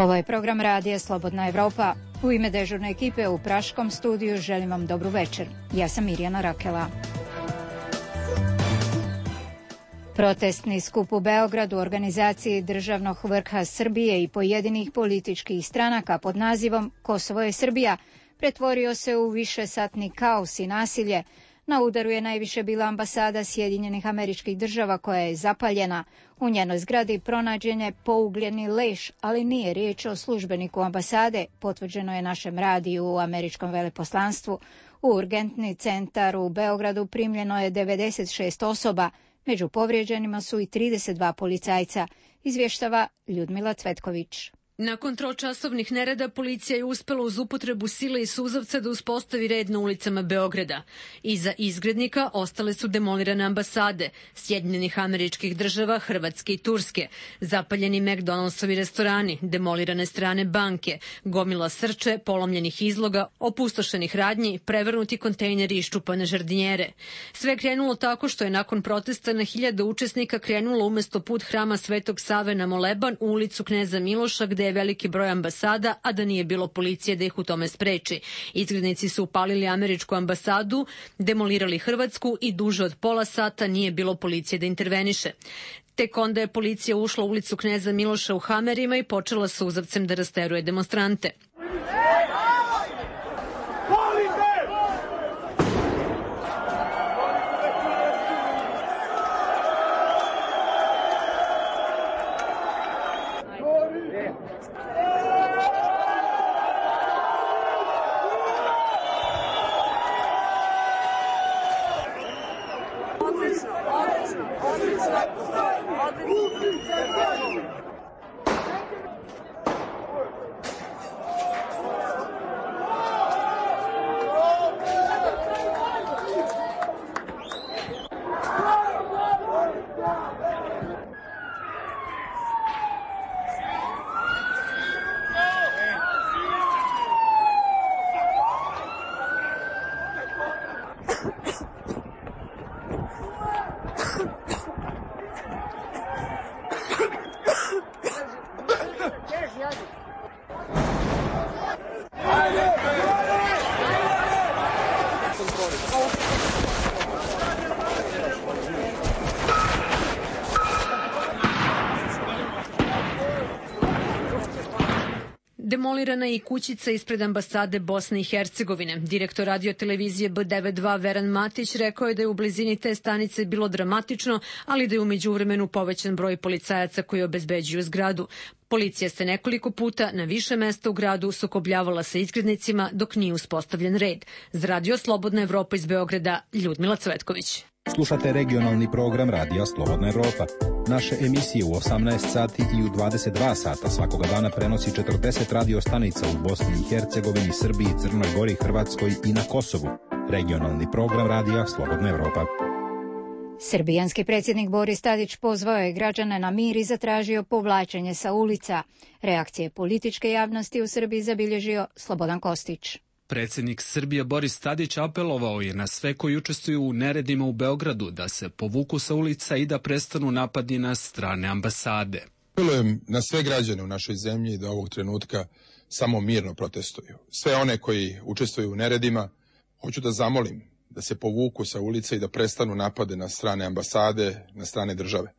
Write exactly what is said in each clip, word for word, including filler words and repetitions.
Ovo je program radija Slobodna Evropa. U ime dežurne ekipe u Praškom studiju želim vam dobru večer. Ja sam Mirjana Rakela. Protestni skup u Beogradu u organizaciji Državnog vrha Srbije i pojedinih političkih stranaka pod nazivom Kosovo je Srbija pretvorio se u višesatni kaos i nasilje. Na udaru je najviše bila ambasada Sjedinjenih Američkih Država koja je zapaljena. U njenoj zgradi pronađen je pougljeni leš, ali nije riječ o službeniku ambasade, potvrđeno je našem radiju u američkom veleposlanstvu. U urgentni centar u Beogradu primljeno je devedeset šest osoba, među povrijeđenima su i trideset dva policajca, izvještava Ljudmila Cvetković. Nakon tročasovnih nereda policija je uspela uz upotrebu sile i suzavca da uspostavi red na ulicama Beograda. Iza izgrednika ostale su demolirane ambasade Sjedinjenih Američkih Država, Hrvatske i Turske, zapaljeni McDonald'sovi restorani, demolirane strane banke, gomila srče, polomljenih izloga, opustošenih radnji, prevrnuti kontejneri i iščupane žardinjere. Sve je krenulo tako što je nakon protesta na hiljade učesnika krenulo umesto put hrama Svetog Save na Moleban u ulicu Kneza Miloša, gde je veliki broj ambasada, a da nije bilo policije da ih u tome spreči. Izgrednici su upalili američku ambasadu, demolirali hrvatsku i duže od pola sata nije bilo policije da interveniše. Tek onda je policija ušla u ulicu Kneza Miloša u hamerima i počela suzavcem da rasteruje demonstrante. Demolirana je i kućica ispred ambasade Bosne i Hercegovine. Direktor radiotelevizije B devedeset dva Veran Matić rekao je da je u blizini te stanice bilo dramatično, ali da je u međuvremenu povećan broj policajaca koji obezbeđuju zgradu. Policija se nekoliko puta na više mesta u gradu sukobljavala sa izgrednicima dok nije uspostavljen red. Za radio Slobodna Evropa iz Beograda, Ljudmila Cvetković. Slušate regionalni program Radija Slobodna Evropa. Naše emisije u osamnaest sati i u dvadeset dva sata svakoga dana prenosi četrdeset radio stanica u Bosni i Hercegovini, Srbiji, Crnoj Gori, Hrvatskoj i na Kosovu. Regionalni program Radija Slobodna Evropa. Srbijanski predsjednik Boris Tadić pozvao je građane na mir i zatražio povlačenje sa ulica. Reakcije političke javnosti u Srbiji zabilježio Slobodan Kostić. Predsjednik Srbije Boris Tadić apelovao je na sve koji učestvuju u neredima u Beogradu da se povuku sa ulica i da prestanu napadi na strane ambasade. Apelujem na sve građane u našoj zemlji da ovog trenutka samo mirno protestuju. Sve one koji učestvuju u neredima, hoću da zamolim da se povuku sa ulica i da prestanu napade na strane ambasade, na strane države.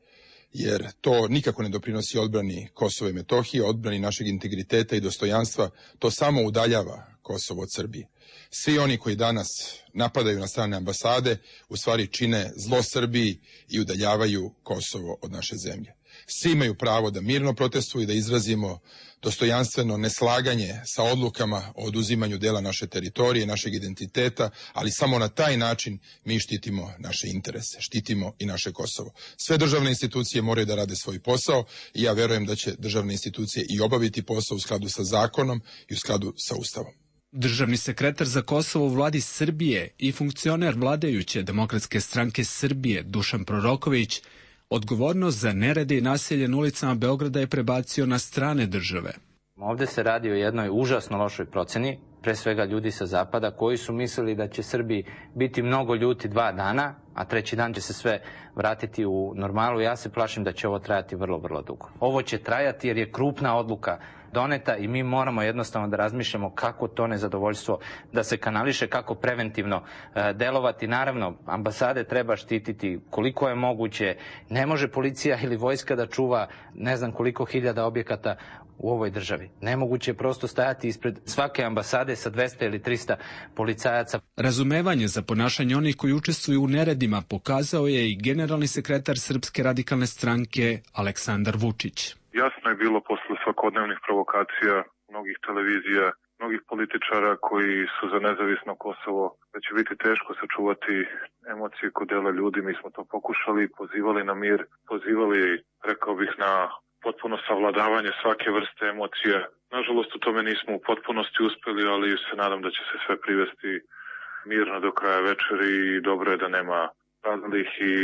Jer to nikako ne doprinosi odbrani Kosova i Metohije, odbrani našeg integriteta i dostojanstva, to samo udaljava Kosovo od Srbije. Svi oni koji danas napadaju na strane ambasade u stvari čine zlo Srbiji i udaljavaju Kosovo od naše zemlje. Svi imaju pravo da mirno protestuju i da izrazimo dostojanstveno neslaganje sa odlukama o oduzimanju dela naše teritorije, našeg identiteta, ali samo na taj način mi štitimo naše interese, štitimo i naše Kosovo. Sve državne institucije moraju da rade svoj posao i ja verujem da će državne institucije i obaviti posao u skladu sa zakonom i u skladu sa Ustavom. Državni sekretar za Kosovo u vladi Srbije i funkcioner vladajuće Demokratske stranke Srbije Dušan Proroković odgovornost za nerede i nasilje na ulicama Beograda je prebacio na strane države. Ovde se radi o jednoj užasno lošoj proceni, pre svega ljudi sa zapada koji su mislili da će Srbiji biti mnogo ljuti dva dana, a treći dan će se sve vratiti u normalu. Ja se plašim da će ovo trajati vrlo, vrlo dugo. Ovo će trajati jer je krupna odluka doneta i mi moramo jednostavno da razmišljamo kako to nezadovoljstvo da se kanališe, kako preventivno e, delovati. Naravno, ambasade treba štititi koliko je moguće. Ne može policija ili vojska da čuva ne znam koliko hiljada objekata u ovoj državi. Nemoguće je prosto stajati ispred svake ambasade sa dvesta ili trista policajaca. Razumevanje za ponašanje onih koji učestvuju u neredima pokazao je i generalni sekretar Srpske radikalne stranke Aleksandar Vučić. Jasno je bilo posle svakodnevnih provokacija mnogih televizija, mnogih političara koji su za nezavisno Kosovo, da će biti teško sačuvati emocije kod dela ljudi. Mi smo to pokušali, pozivali na mir, pozivali, rekao bih, na potpuno savladavanje svake vrste emocije. Nažalost, u tome nismo u potpunosti uspeli, ali se nadam da će se sve privesti mirno do kraja večeri i dobro je da nema razlih i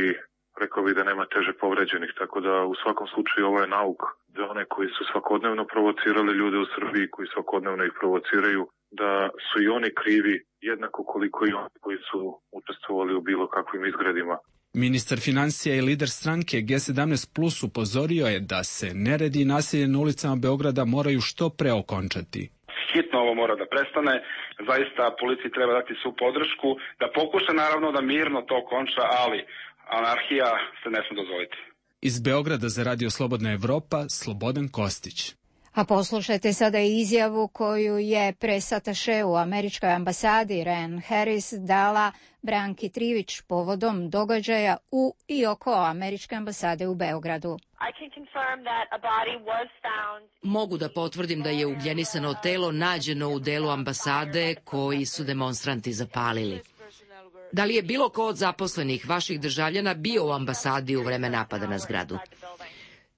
rekao bih da nema teže povređenih, tako da u svakom slučaju ovo je nauk za one koji su svakodnevno provocirali ljude u Srbiji, koji svakodnevno ih provociraju, da su i oni krivi jednako koliko i oni koji su učestvovali u bilo kakvim izgredima. Ministar financija i lider stranke G sedamnaest plus upozorio je da se neredi i nasilje na ulicama Beograda moraju što pre okončati. Hitno ovo mora da prestane, zaista policiji treba dati svu podršku, da pokuša naravno da mirno to okonča, ali anarhija se ne sme dozvoliti. Iz Beograda za Radio Slobodna Evropa, Slobodan Kostić. A poslušajte sada izjavu koju je presataše u američkoj ambasadi Ren Harris dala Branki Trivić povodom događaja u i oko američke ambasade u Beogradu. Mogu da potvrdim da je ugljenisano telo nađeno u delu ambasade koji su demonstranti zapalili. Da li je bilo ko od zaposlenih vaših državljana bio u ambasadi u vreme napada na zgradu?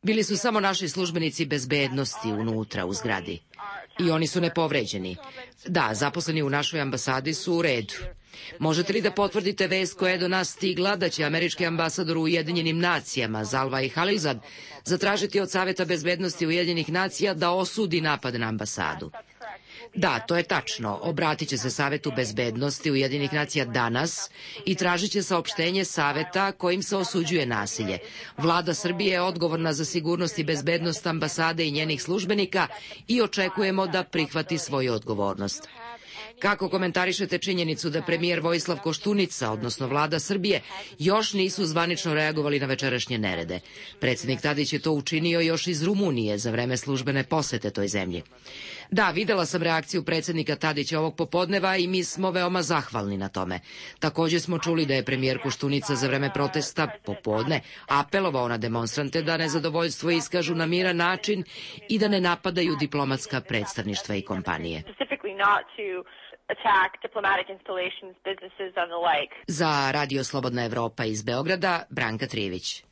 Bili su samo naši službenici bezbednosti unutra u zgradi. I oni su nepovređeni. Da, zaposleni u našoj ambasadi su u redu. Možete li da potvrdite vest koja je do nas stigla da će američki ambasador u Ujedinjenim nacijama Zalmay Khalilzad zatražiti od Saveta bezbednosti Ujedinjenih nacija da osudi napad na ambasadu? Da, to je tačno. Obratit će se Savetu bezbednosti Ujedinjenih nacija danas i tražit će saopštenje Saveta kojim se osuđuje nasilje. Vlada Srbije je odgovorna za sigurnost i bezbednost ambasade i njenih službenika i očekujemo da prihvati svoju odgovornost. Kako komentarišete činjenicu da premijer Vojislav Koštunica, odnosno vlada Srbije, još nisu zvanično reagovali na večerašnje nerede? Predsjednik Tadić je to učinio još iz Rumunije za vreme službene posete toj zemlji. Da, videla sam reakciju predsjednika Tadića ovog popodneva i mi smo veoma zahvalni na tome. Također smo čuli da je premijer Koštunica za vreme protesta popodne apelovao na demonstrante da nezadovoljstvo iskažu na miran način i da ne napadaju diplomatska predstavništva i kompanije. Za Radio Slobodna Evropa iz Beograda, Branka Trivić.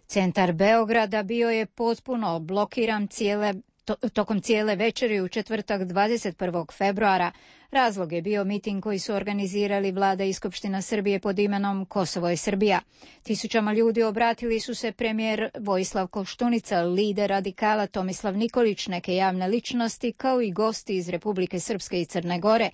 Centar Beograda bio je potpuno blokiran cijele To, tokom cijele večeri u četvrtak dvadeset prvog februara. Razlog je bio miting koji su organizirali Vlada i Skupština Srbije pod imenom Kosovo je Srbija. Tisućama ljudi obratili su se premijer Vojislav Koštunica, lider radikala Tomislav Nikolić, neke javne ličnosti, kao i gosti iz Republike Srpske i Crne Gore.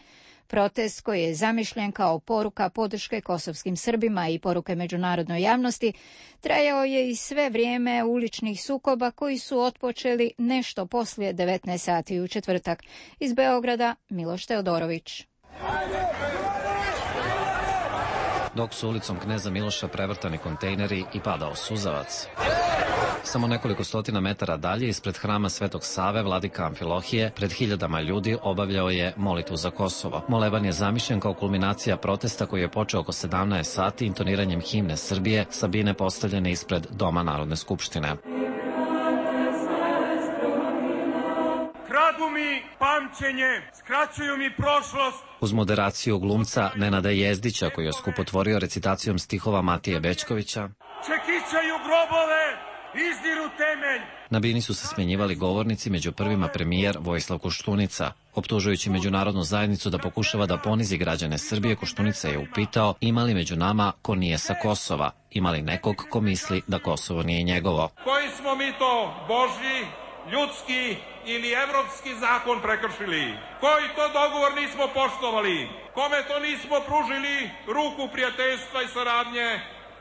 Protest koji je zamišljen kao poruka podrške kosovskim Srbima i poruke međunarodnoj javnosti trajao je i sve vrijeme uličnih sukoba koji su otpočeli nešto poslije devetnaest sati u četvrtak. Iz Beograda Miloš Teodorović. Dok su ulicom Kneza Miloša prevrtani kontejneri i padao suzavac. Samo nekoliko stotina metara dalje, ispred hrama Svetog Save, vladika Amfilohije, pred hiljadama ljudi obavljao je molitvu za Kosovo. Moleban je zamišljen kao kulminacija protesta koji je počeo oko sedamnaest sati intoniranjem himne Srbije sa bine postavljene ispred Doma Narodne skupštine. Kradu mi pamćenje, skraćuju mi prošlost. Uz moderaciju glumca Nenada Jezdića, koji je skupotvorio recitacijom stihova Matije Bećkovića, čekićaju grobove, izdiru temelj. Na bini su se smjenjivali govornici, među prvima premijer Vojislav Koštunica. Optužujući međunarodnu zajednicu da pokušava da ponizi građane Srbije, Koštunica je upitao ima li među nama ko nije sa Kosova, ima li nekog ko misli da Kosovo nije njegovo. Koji smo mi to, Božji ljudski ili evropski zakon prekršili? Koji to dogovor nismo poštovali? Kome to nismo pružili ruku prijateljstva i saradnje,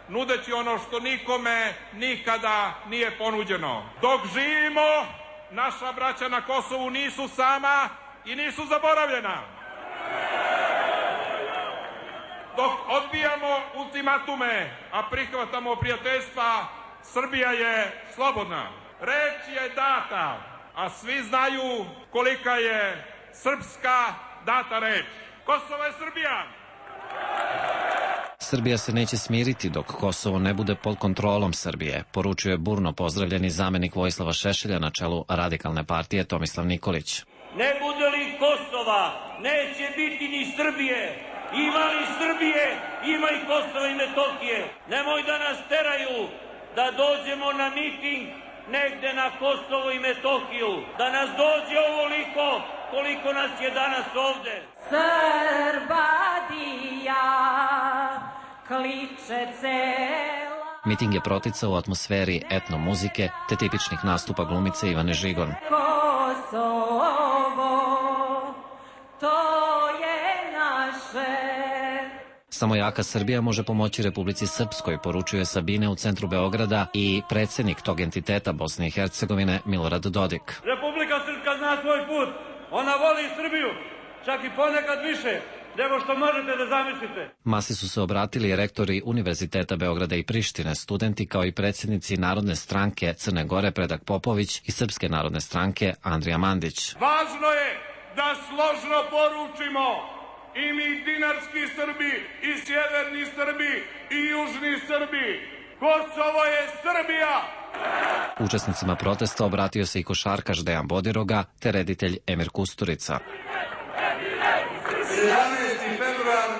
nudeći ono što nikome nikada nije ponuđeno? Dok živimo, naša braća na Kosovu nisu sama i nisu zaboravljena. Dok odbijamo ultimatume, a prihvatamo prijateljstva, Srbija je slobodna. Reč je data, a svi znaju kolika je srpska data reč. Kosovo je Srbija! Srbija se neće smiriti dok Kosovo ne bude pod kontrolom Srbije, poručio je burno pozdravljeni zamenik Vojislava Šešelja na čelu Radikalne partije Tomislav Nikolić. Ne bude li Kosova, neće biti ni Srbije. Ima li Srbije, ima i Kosova i Metohije. Nemoj da nas teraju da dođemo na miting negde na Kosovo i Metohiju. Da nas dođe ovoliko koliko nas je danas ovde. Srbadija kliče cela. Miting je proticao u atmosferi etno muzike te tipičnih nastupa glumice Ivane Žigon. Kosovo, to je naše. Samo jaka Srbija može pomoći Republici Srpskoj, poručuje Sabine u centru Beograda i predsjednik tog entiteta Bosne i Hercegovine Milorad Dodik. Republika Srpska zna svoj put. Ona voli Srbiju, čak i ponekad više nego što možete da zamislite. Masi su se obratili rektori Univerziteta Beograda i Prištine, studenti kao i predsjednici Narodne stranke Crne Gore Predrag Popović i Srpske narodne stranke Andrija Mandić. Važno je da složno poručimo i mi dinarski Srbi, i sjeverni Srbi, i južni Srbi. Kosovo je Srbija! Učesnicima protesta obratio se i košarkaš Dejan Bodiroga te reditelj Emir Kusturica. sedamnaesti februar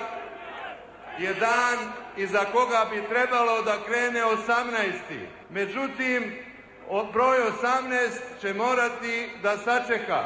je dan iza koga bi trebalo da krene osamnaesti. Međutim, broj osamnaest će morati da sačeka.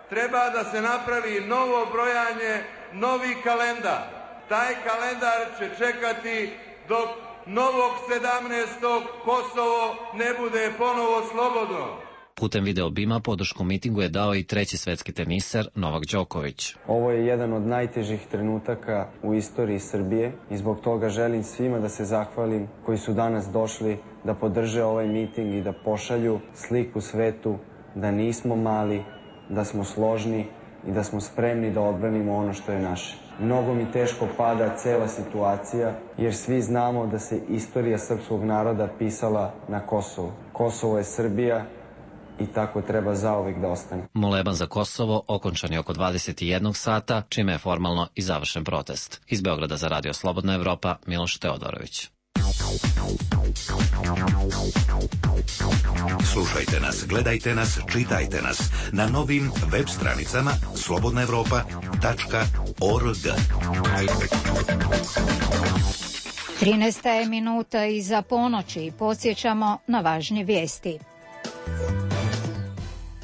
Treba da se napravi novo brojanje, novi kalendar. Taj kalendar će čekati dok novog sedamnaestog Kosovo ne bude ponovo slobodno. Putem video bima podršku mitingu je dao i treći svetski teniser Novak Đoković. Ovo je jedan od najtežih trenutaka u istoriji Srbije i zbog toga želim svima da se zahvalim koji su danas došli da podrže ovaj miting i da pošalju sliku svetu da nismo mali, da smo složni i da smo spremni da odbranimo ono što je naše. Mnogo mi teško pada cela situacija, jer svi znamo da se istorija srpskog naroda pisala na Kosovu. Kosovo je Srbija i tako treba zauvek da ostane. Moleban za Kosovo okončan je oko dvadeset jedan sata, čime je formalno i završen protest. Iz Beograda za Radio Slobodna Evropa, Miloš Teodorović. Slušajte nas, gledajte nas, čitajte nas na novim web stranicama slobodna evropa tačka org. trinaesta je minuta iza ponoći i podsjećamo na važnje vijesti.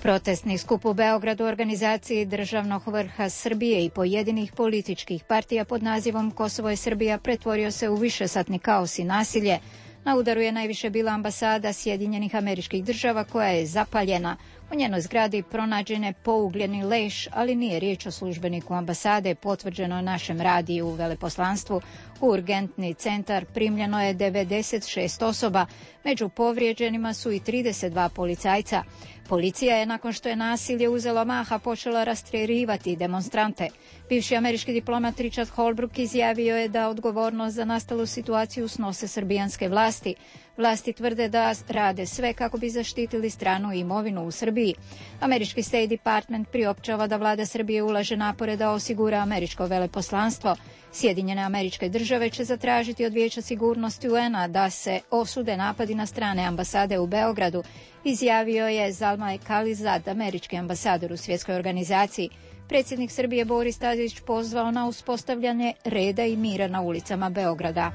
Protestni skup u Beogradu u organizaciji Državnog vrha Srbije i pojedinih političkih partija pod nazivom Kosovo je Srbija pretvorio se u višesatni kaos i nasilje. Na udaru je najviše bila ambasada Sjedinjenih Američkih Država koja je zapaljena. U njenoj zgradi pronađen je pougljeni leš, ali nije riječ o službeniku ambasade, potvrđeno našem radiju u veleposlanstvu. U urgentni centar primljeno je devedeset šest osoba, među povrijeđenima su i trideset dva policajca. Policija je, nakon što je nasilje uzelo maha, počela rastjerivati demonstrante. Bivši američki diplomat Richard Holbrooke izjavio je da odgovornost za nastalu situaciju snose srbijanske vlasti. Vlasti tvrde da rade sve kako bi zaštitili stranu imovinu u Srbiji. Američki State Department priopćava da vlada Srbije ulaže napore da osigura američko veleposlanstvo. Sjedinjene Američke Države će zatražiti od Vijeća sigurnosti U N-a da se osude napadi na strane ambasade u Beogradu, izjavio je Zalmay Khalilzad, američki ambasador u svjetskoj organizaciji. Predsjednik Srbije Boris Tadić pozvao na uspostavljanje reda i mira na ulicama Beograda.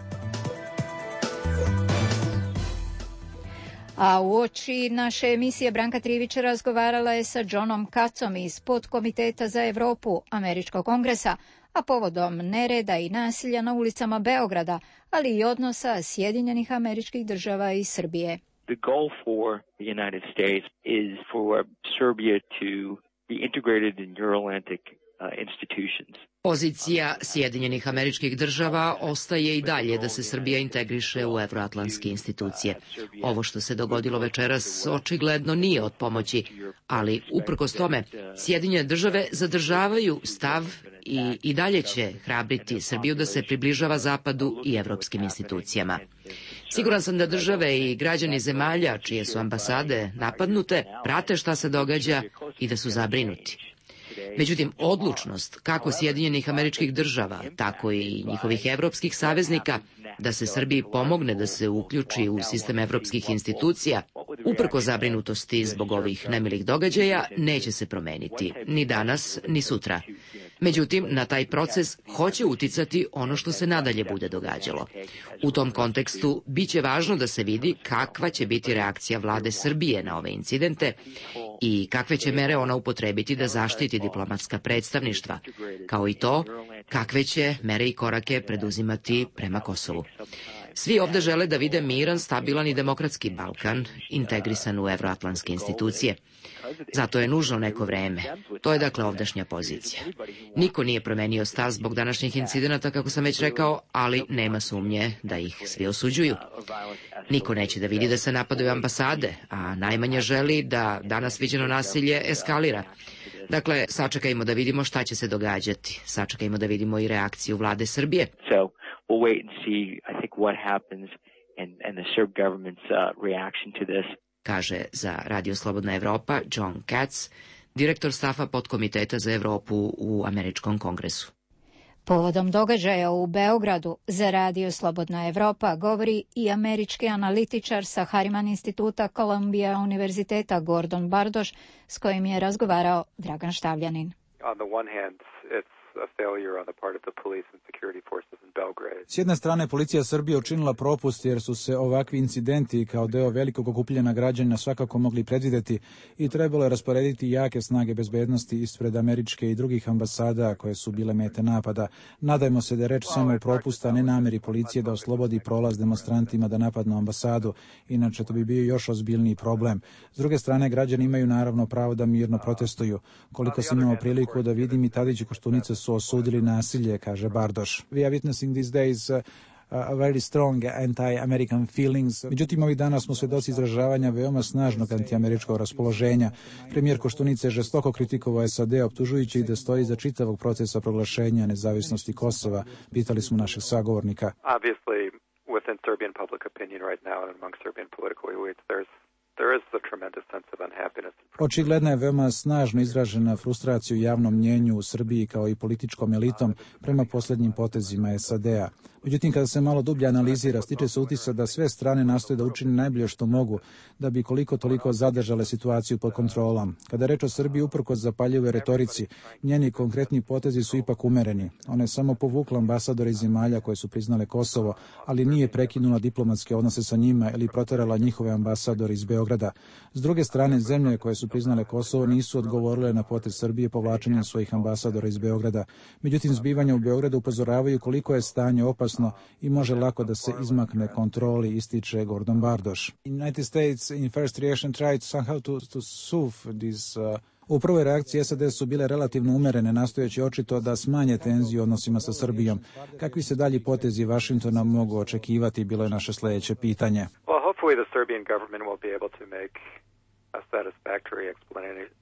A uoči naše emisije Branka Trivić razgovarala je sa Johnom Katzom iz Podkomiteta za Europu Američkog kongresa, a povodom nereda i nasilja na ulicama Beograda, ali i odnosa Sjedinjenih Američkih Država i Srbije. The goal for the United States is for Serbia to be integrated in Euro-Atlantic uh, institutions. Pozicija Sjedinjenih Američkih Država ostaje i dalje da se Srbija integriše u evroatlantske institucije. Ovo što se dogodilo večeras očigledno nije od pomoći, ali uprkos tome Sjedinjene Države zadržavaju stav i i dalje će hrabriti Srbiju da se približava Zapadu i evropskim institucijama. Siguran sam da države i građani zemalja čije su ambasade napadnute prate šta se događa i da su zabrinuti. Međutim, odlučnost kako Sjedinjenih Američkih Država, tako i njihovih evropskih saveznika da se Srbiji pomogne da se uključi u sistem evropskih institucija, uprko zabrinutosti zbog ovih nemilih događaja, neće se promeniti, ni danas, ni sutra. Međutim, na taj proces hoće uticati ono što se nadalje bude događalo. U tom kontekstu biće važno da se vidi kakva će biti reakcija vlade Srbije na ove incidente i kakve će mere ona upotrebiti da zaštiti diplomatska predstavništva, kao i to kakve će mere i korake preduzimati prema Kosovu. Svi ovde žele da vide miran, stabilan i demokratski Balkan, integrisan u evroatlantske institucije. Zato je nužno neko vreme. To je dakle ovdašnja pozicija. Niko nije promenio stav zbog današnjih incidenata, kako sam već rekao, ali nema sumnje da ih svi osuđuju. Niko neće da vidi da se napadaju ambasade, a najmanje želi da danas viđeno nasilje eskalira. Dakle, sačekajmo da vidimo šta će se događati. Sačekajmo da vidimo i reakciju vlade Srbije. We'll wait and see, I think, what happens and, and the Serb government's uh, reaction to this. Kaže za Radio Slobodna Evropa John Katz, direktor stafa podkomiteta za Evropu u Američkom kongresu. Povodom događaja u Beogradu za Radio Slobodna Evropa govori i američki analitičar sa Harriman instituta Columbia univerziteta Gordon Bardoš, s kojim je razgovarao Dragan Štavljanin. On the one hand, it's a failure on the part of the police and security forces in Belgrade. S jedne strane, policija Srbije učinila propust jer su se ovakvi incidenti kao deo velikog okupljanja građana svakako mogli predvideti i trebalo je rasporediti jake snage bezbednosti ispred američke i drugih ambasada koje su bile mete napada. Nadajmo se da je reč samo o propusta, ne nameri policije da oslobodi prolaz demonstrantima da napadnu ambasadu, inače to bi bio još ozbiljniji problem. S druge strane, građani imaju naravno pravo da mirno protestuju. Koliko sam imao priliku da vidim, i Tadić i Koštunica su osudili nasilje, kaže Bardoš. We are witnessing these days uh, a very strong anti-American feelings. Međutim, ovih dana smo svedoci izražavanja veoma snažnog antiameričkog raspoloženja. Premijer Koštunica je žestoko kritikovao S A D, optužujući da stoji iza čitavog procesa proglašenja nezavisnosti Kosova. Pitali smo našeg sagovornika. Obviously, within Serbian public opinion right now and among Serbian political elites, there's There is a tremendous sense of unhappiness. Očigledna je veoma snažno izražena frustracija u javnom mnjenju u Srbiji kao i političkom elitom prema posljednjim potezima S A D-a. Međutim, kada se malo dublje analizira, stiče se utisak da sve strane nastoje da učine najbolje što mogu, da bi koliko toliko zadržale situaciju pod kontrolom. Kada je reč o Srbiji, uprkos zapaljivoj retorici, njeni konkretni potezi su ipak umereni. Ona je samo povukla ambasadore iz zemalja koje su priznale Kosovo, ali nije prekinula diplomatske odnose sa njima ili proterala njihove ambasadore iz Beograda. S druge strane, zemlje koje su priznale Kosovo nisu odgovorile na potez Srbije povlačenjem svojih ambasadora iz Beograda. Međutim, zbivanja u Beogradu upozoravaju koliko je stanje opasno i može lako da se izmakne kontroli, ističe Gordon Bardoš. United States in first reaction tried somehow to, to soothe this uh, U prvoj reakciji S A D su bile relativno umerene, nastojeći očito da smanje tenziju u odnosima sa Srbijom. Kakvi se dalji potezi Vašingtona mogu očekivati, bilo je naše sledeće pitanje. Well, hopefully the Serbian government will be able to make a satisfactory explanation.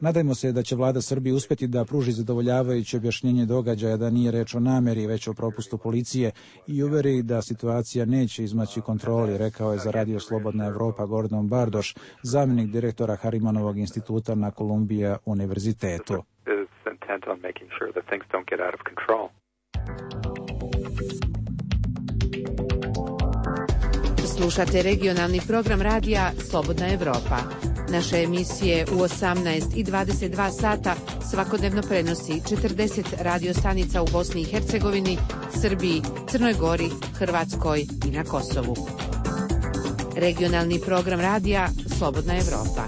Nadajmo se da će vlada Srbije uspeti da pruži zadovoljavajuće objašnjenje događaja, da nije reč o nameri, već o propustu policije, i uveri da situacija neće izmaći kontroli, rekao je za Radio Slobodna Evropa Gordon Bardoš, zamjenik direktora Harrimanovog instituta na Columbia univerzitetu. Slušate regionalni program radija Slobodna Evropa. Naše emisije u osamnaest i dvadeset dva sata svakodnevno prenosi četrdeset radio stanica u Bosni i Hercegovini, Srbiji, Crnoj Gori, Hrvatskoj i na Kosovu. Regionalni program radija Slobodna Evropa.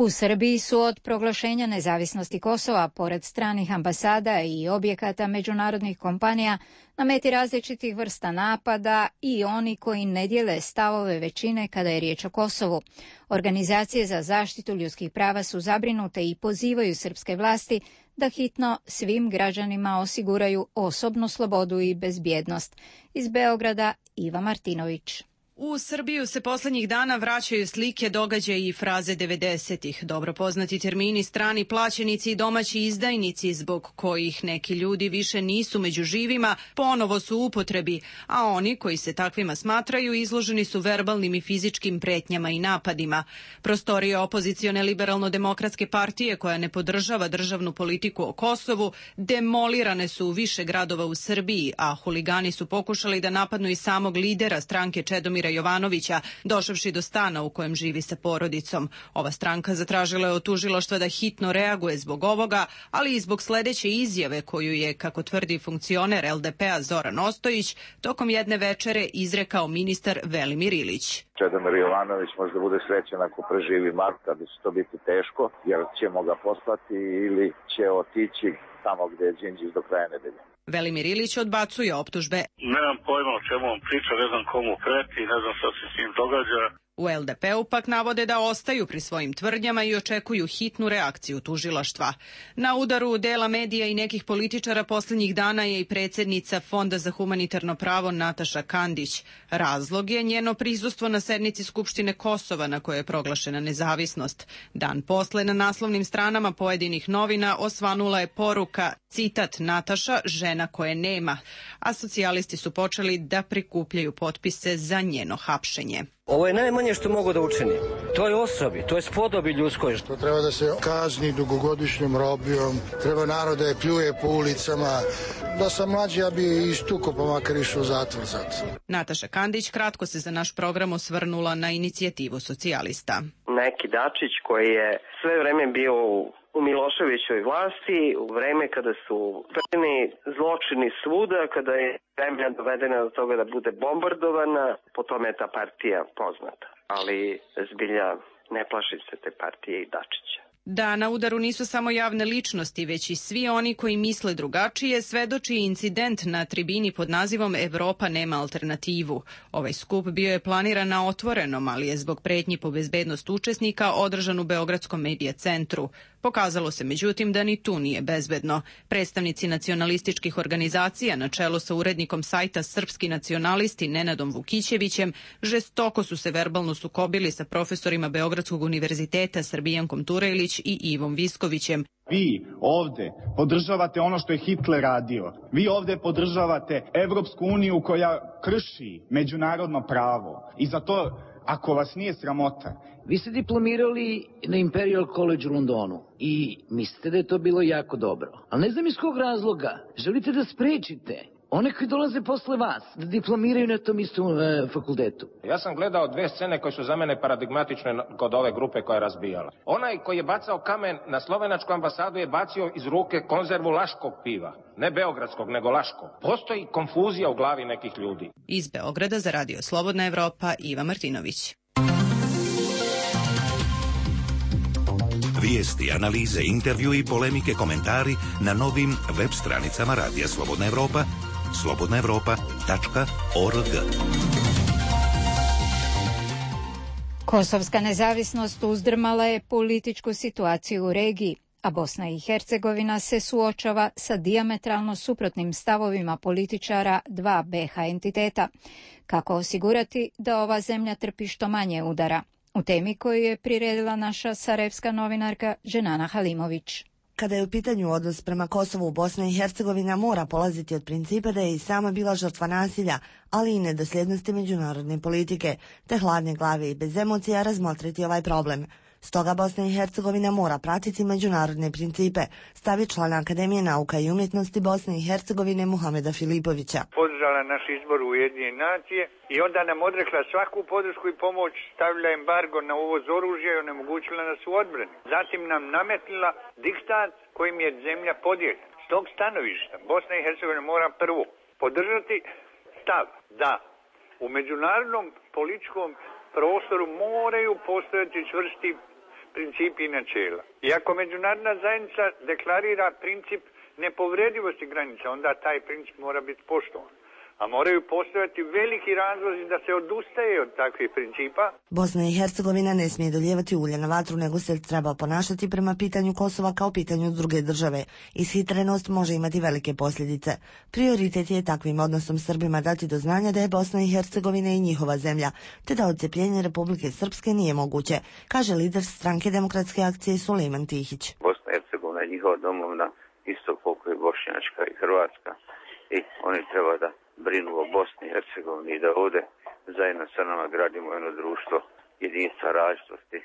U Srbiji su od proglašenja nezavisnosti Kosova, pored stranih ambasada i objekata međunarodnih kompanija, na meti različitih vrsta napada i oni koji ne dijele stavove većine kada je riječ o Kosovu. Organizacije za zaštitu ljudskih prava su zabrinute i pozivaju srpske vlasti da hitno svim građanima osiguraju osobnu slobodu i bezbjednost. Iz Beograda Iva Martinović. U Srbiju se posljednjih dana vraćaju slike, događaji i fraze devedesetih. Dobro poznati termini strani plaćenici i domaći izdajnici, zbog kojih neki ljudi više nisu među živima, ponovo su u upotrebi, a oni koji se takvima smatraju izloženi su verbalnim i fizičkim pretnjama i napadima. Prostorije opozicione liberalno-demokratske partije, koja ne podržava državnu politiku o Kosovu, demolirane su u više gradova u Srbiji, a huligani su pokušali da napadnu i samog lidera stranke Čedomira Jovanovića, došavši do stana u kojem živi sa porodicom. Ova stranka zatražila je od tužilaštva da hitno reaguje zbog ovoga, ali i zbog sledeće izjave koju je, kako tvrdi funkcioner el de pe a Zoran Ostojić, tokom jedne večere izrekao ministar Velimir Ilić. Čedomir Jovanović možda bude srećan ako preživi mart, kada će to biti teško, jer ćemo ga poslati ili će otići tamo gde je Đinđić do kraja nedelje. Velimir Ilić odbacuje optužbe. Nemam pojma o čemu on priča, ne znam komu preti, ne znam šta se s njim događa. U el de pe u pak navode da ostaju pri svojim tvrdnjama i očekuju hitnu reakciju tužilaštva. Na udaru dela medija i nekih političara posljednjih dana je i predsjednica Fonda za humanitarno pravo Nataša Kandić. Razlog je njeno prisustvo na sednici Skupštine Kosova na kojoj je proglašena nezavisnost. Dan posle na naslovnim stranama pojedinih novina osvanula je poruka, citat, Nataša, žena koje nema, a socijalisti su počeli da prikupljaju potpise za njeno hapšenje. Ovo je najmanje što mogu da učinim. To je osobi, to je spodobi ljudskoj. To treba da se kazni dugogodišnjom robijom, treba narod da je pljuje po ulicama. Da sam mlađi, ja bi istuko pa makar išao u zatvor sad. Nataša Kandić kratko se za naš program osvrnula na inicijativu socijalista. Neki Dačić koji je sve vreme bio u Miloševićoj vlasti, u vreme kada su prvi zločini svuda, kada je zemlja dovedena do toga da bude bombardovana, po tome je ta partija poznata. Ali zbilja ne plašim se te partije i Dačića. Da na udaru nisu samo javne ličnosti, već i svi oni koji misle drugačije, svedoči incident na tribini pod nazivom Evropa nema alternativu. Ovaj skup bio je planiran na otvorenom, ali je zbog pretnji po bezbednost učesnika održan u Beogradskom medija centru. Pokazalo se međutim da ni tu nije bezbedno. Predstavnici nacionalističkih organizacija na čelu sa urednikom sajta Srpski nacionalisti Nenadom Vukićevićem žestoko su se verbalno sukobili sa profesorima Beogradskog univerziteta Srbijankom Turejlić i Ivom Viskovićem. Vi ovde podržavate ono što je Hitler radio. Vi ovde podržavate Evropsku uniju koja krši međunarodno pravo. I za to, ako vas nije sramota... Vi ste diplomirali na Imperial College u Londonu i mislite da je to bilo jako dobro. Ali ne znam iz kog razloga. Želite da sprečite one koji dolaze posle vas da diplomiraju na tom istom e, fakultetu. Ja sam gledao dve scene koje su za mene paradigmatične kod ove grupe koja je razbijala. Onaj koji je bacao kamen na slovenačku ambasadu je bacio iz ruke konzervu laškog piva. Ne beogradskog, nego laškog. Postoji konfuzija u glavi nekih ljudi. Iz Beograda za Radio Slobodna Evropa, Iva Martinović. Vijesti, analize, intervju i polemike, komentari na novim web stranicama Radija Slobodna Evropa, slobodna evropa tačka org. Kosovska nezavisnost uzdrmala je političku situaciju u regiji, a Bosna i Hercegovina se suočava sa dijametralno suprotnim stavovima političara dva be ha entiteta. Kako osigurati da ova zemlja trpi što manje udara? U temi koju je priredila naša sarajevska novinarka Dženana Halimović. Kada je u pitanju odnos prema Kosovu, Bosna i Hercegovina mora polaziti od principa da je i sama bila žrtva nasilja, ali i nedosljednosti međunarodne politike, te hladne glave i bez emocija razmotriti ovaj problem. Stoga Bosna i Hercegovina mora pratiti međunarodne principe, stavi član Akademije nauka i umjetnosti Bosne i Hercegovine Muhameda Filipovića. Podržala naš izbor u Ujedinjene nacije i onda nam odrekla svaku podršku i pomoć, stavila embargo na uvoz oružja i onemogućila nas u odbrani. Zatim nam nametnila diktat kojim je zemlja podijeljena. S tog stanovišta Bosna i Hercegovina mora prvo podržati stav da u međunarodnom političkom prostoru moraju postojati čvrsti principi i načela. I ako međunarodna zajednica deklarira princip nepovredivosti granica, onda taj princip mora biti poštovan. A moraju postojati veliki razlozi da se odustaje od takvih principa. Bosna i Hercegovina ne smije dolijevati ulje na vatru, nego se treba ponašati prema pitanju Kosova kao pitanju druge države. Ishitrenost može imati velike posljedice. Prioritet je takvim odnosom Srbima dati do znanja da je Bosna i Hercegovina i njihova zemlja, te da odcepljenje Republike Srpske nije moguće, kaže lider stranke Demokratske akcije Sulejman Tihić. Bosna i Hercegovina je njihova domovina, isto koliko je Bošnjačka i Hrvatska, i oni treba da brinu o Bosni i Hercegovini i da ovdje zajedno sa nama gradimo jedno društvo jedinstva različitosti.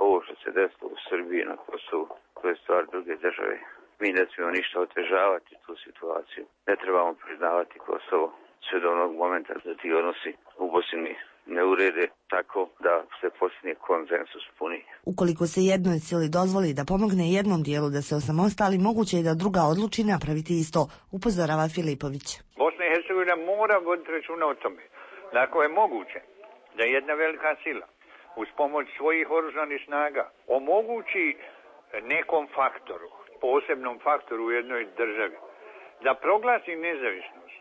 Ovo što se desilo u Srbiji na Kosovu, to je stvar druge države. Mi ne smijemo ništa otežavati tu situaciju. Ne trebamo priznavati Kosovo sve do onog momenta da ti odnosi u Bosni ne urede tako da se postigne konsensus puni. Ukoliko se jednoj sili dozvoli da pomogne jednom dijelu da se osamostali, moguće je da druga odluči napraviti isto, upozorava Filipović. Bosna i Hercegovina mora voditi računa o tome da ako je moguće da jedna velika sila uz pomoć svojih oružanih snaga omogući nekom faktoru, posebnom faktoru u jednoj državi, da proglasi nezavisnost.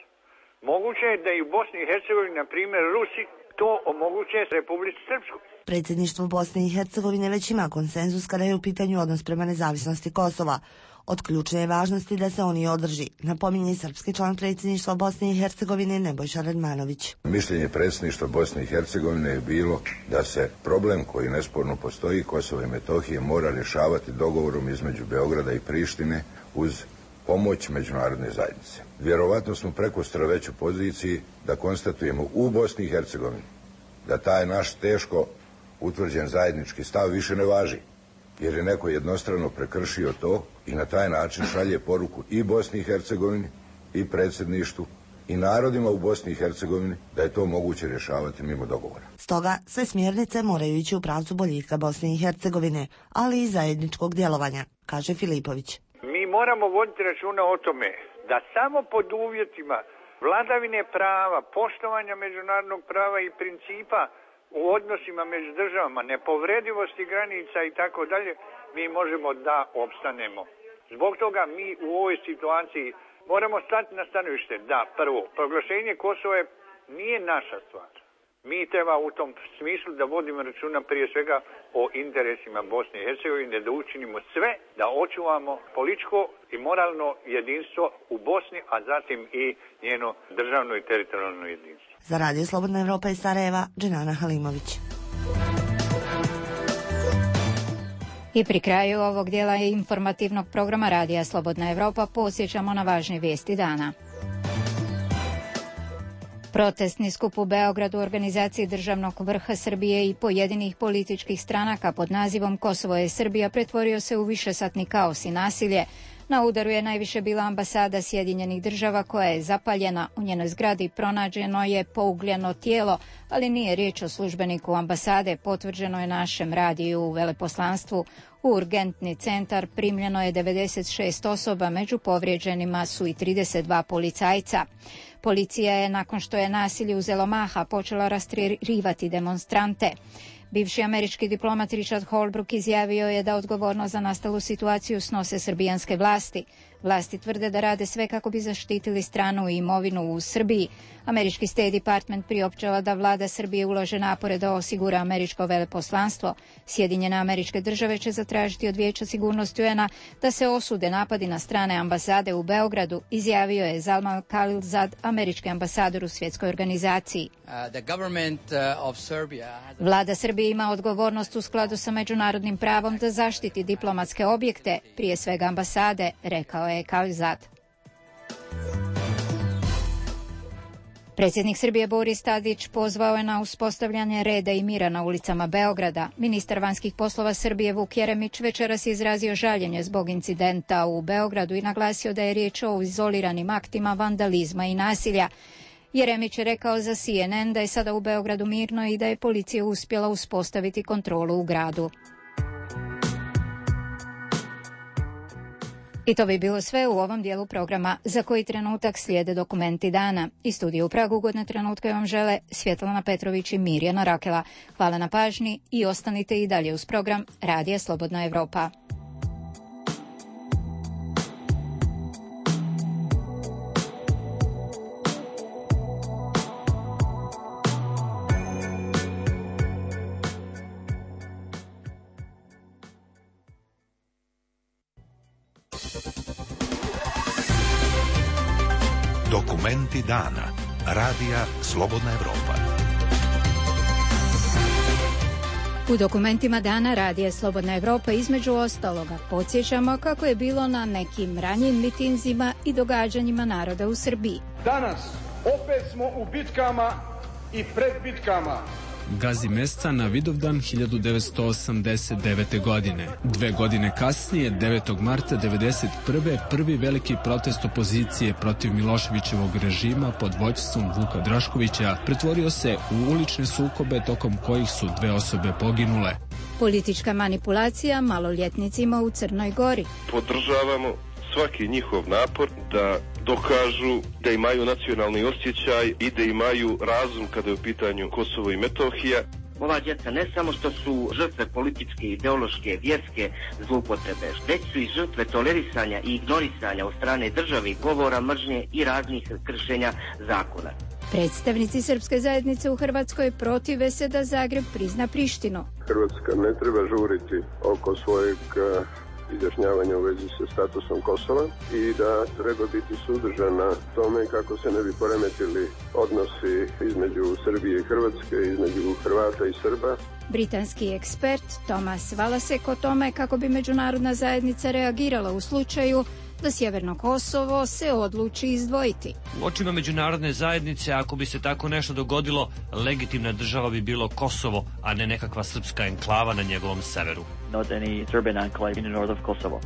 Moguće je da i u Bosni i Hercegovini, na primjer Rusi, to omoguće Republici Srpskoj. Predsjedništvo Bosne i Hercegovine već ima konsenzus kada je u pitanju odnos prema nezavisnosti Kosova. Od ključne je važnosti da se on i održi, napominje srpski član predsjedništva Bosne i Hercegovine Nebojša Radmanović. Mišljenje predsjedništva Bosne i Hercegovine je bilo da se problem koji nesporno postoji, Kosovo i Metohije, mora rješavati dogovorom između Beograda i Prištine uz pomoć međunarodne zajednice. Vjerovatno smo prekosutra već u poziciji da konstatujemo u Bosni i Hercegovini da taj naš teško utvrđen zajednički stav više ne važi, jer je neko jednostrano prekršio to i na taj način šalje poruku i Bosni i Hercegovini i predsjedništvu i narodima u Bosni i Hercegovini da je to moguće rješavati mimo dogovora. Stoga sve smjernice moraju ići u pravcu boljitka Bosne i Hercegovine, ali i zajedničkog djelovanja, kaže Filipović. Mi moramo voditi računa o tome da samo pod uvjetima vladavine prava, poštovanja međunarodnog prava i principa u odnosima među državama, nepovredivosti granica i tako dalje, mi možemo da opstanemo. Zbog toga mi u ovoj situaciji moramo stati na stanovište da, prvo, proglašenje Kosova nije naša stvar. Mi treba u tom smislu da vodimo računa prije svega o interesima Bosne i Hercegovine, da učinimo sve da očuvamo političko i moralno jedinstvo u Bosni, a zatim i njeno državno i teritorijalno jedinstvo. Za Radio Slobodna Evropa iz Sarajeva, Dženana Halimović. I pri kraju ovog dijela informativnog programa Radija Slobodna Evropa podsjećamo na važne vijesti dana. Protestni skup u Beogradu u organizaciji državnog vrha Srbije i pojedinih političkih stranaka pod nazivom Kosovo je Srbija pretvorio se u višesatni kaos i nasilje. Na udaru je najviše bila ambasada Sjedinjenih država koja je zapaljena. U njenoj zgradi pronađeno je pougljeno tijelo, ali nije riječ o službeniku ambasade, potvrđeno je našem radiju u veleposlanstvu. U urgentni centar primljeno je devedeset šest osoba, među povrijeđenima su i trideset dva policajca. Policija je, nakon što je nasilje uzelo maha, počela rastjerivati demonstrante. Bivši američki diplomat Richard Holbrooke izjavio je da odgovornost za nastalu situaciju snose srbijanske vlasti. Vlasti tvrde da rade sve kako bi zaštitili stranu i imovinu u Srbiji. Američki State Department priopćava da vlada Srbije ulaže napore da osigura američko veleposlanstvo. Sjedinjene Američke Države će zatražiti od Vijeća sigurnosti U N-a da se osude napadi na strane ambasade u Beogradu, izjavio je Zalmal Khalilzad, američki ambasador u svjetskoj organizaciji. Vlada Srbije ima odgovornost u skladu sa međunarodnim pravom da zaštiti diplomatske objekte, prije svega ambasade, rekao je Khalilzad. Predsjednik Srbije Boris Tadić pozvao je na uspostavljanje reda i mira na ulicama Beograda. Ministar vanjskih poslova Srbije Vuk Jeremić večeras je izrazio žaljenje zbog incidenta u Beogradu i naglasio da je riječ o izoliranim aktima vandalizma i nasilja. Jeremić je rekao za C N N da je sada u Beogradu mirno i da je policija uspjela uspostaviti kontrolu u gradu. I to bi bilo sve u ovom dijelu programa. Za koji trenutak slijede dokumenti dana. I studiju u Pragu ugodne trenutke vam žele Svjetlana Petrović i Mirjana Rakela. Hvala na pažnji i ostanite i dalje uz program Radija Slobodna Evropa. Dokumenti dana. Radija Slobodna Evropa. U dokumentima dana Radija Slobodna Evropa između ostaloga podsjećamo kako je bilo na nekim ranijim mitinzima i događanjima naroda u Srbiji. Danas opet smo u bitkama i pred bitkama. Gazi mesta na Vidovdan hiljadu devetsto osamdeset devete. godine. Dve godine kasnije, devetog marta devedeset prve. prvi veliki protest opozicije protiv Miloševićevog režima pod vođstvom Vuka Draškovića pretvorio se u ulične sukobe tokom kojih su dve osobe poginule. Politička manipulacija maloljetnicima u Crnoj Gori. Podržavamo svaki njihov napor da dokažu da imaju nacionalni osjećaj i da imaju razum kada je u pitanju Kosovo i Metohija. Ova djeca ne samo što su žrtve političke, ideološke, vjerske zloupotrebe, već su i žrtve tolerisanja i ignorisanja od strane države i govora mržnje i raznih kršenja zakona. Predstavnici srpske zajednice u Hrvatskoj protive se da Zagreb prizna Prištinu. Hrvatska ne treba žuriti oko svojeg izjašnjavanja u vezi sa statusom Kosova i da treba biti suzdržana tome kako se ne bi poremetili odnosi između Srbije i Hrvatske, između Hrvata i Srba. Britanski ekspert Thomas Valasek o tome kako bi međunarodna zajednica reagirala u slučaju da Sjeverno Kosovo se odluči izdvojiti. U očima međunarodne zajednice, ako bi se tako nešto dogodilo, legitimna država bi bilo Kosovo, a ne nekakva srpska enklava na njegovom severu. Not any Serbian enclave in the north of Kosovo.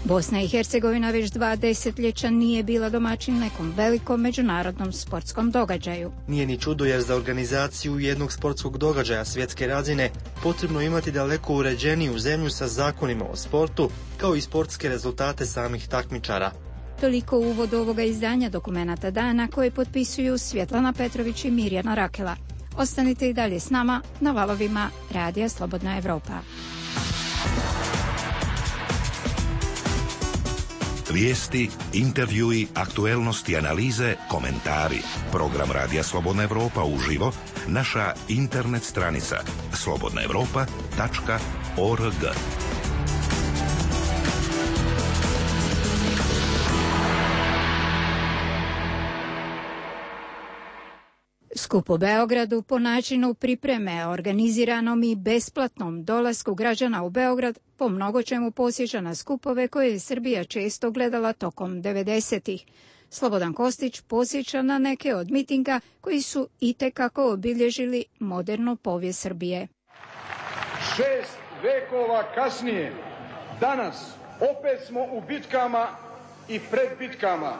Bosna i Hercegovina već dva desetljeća nije bila domaćin nekom velikom međunarodnom sportskom događaju. Nije ni čudo jer za organizaciju jednog sportskog događaja svjetske razine potrebno imati daleko uređeniju zemlju sa zakonima o sportu, kao i sportske rezultate samih takmičara. Toliko uvod ovoga izdanja dokumenata dana koje potpisuju Svjetlana Petrović i Mirjana Rakela. Ostanite i dalje s nama na valovima Radija Slobodna Evropa. Vijesti, intervjui, aktuelnosti, analize, komentari. Program Radija Slobodna Evropa uživo, naša internet stranica slobodna evropa tačka org. Skup u Beogradu po načinu pripreme organiziranom i besplatnom dolasku građana u Beograd po mnogo čemu posjeća na skupove koje je Srbija često gledala tokom devedesetih. Slobodan Kostić posjeća na neke od mitinga koji su itekako obilježili modernu povijest Srbije. Šest vekova kasnije, danas opet smo u bitkama i pred bitkama.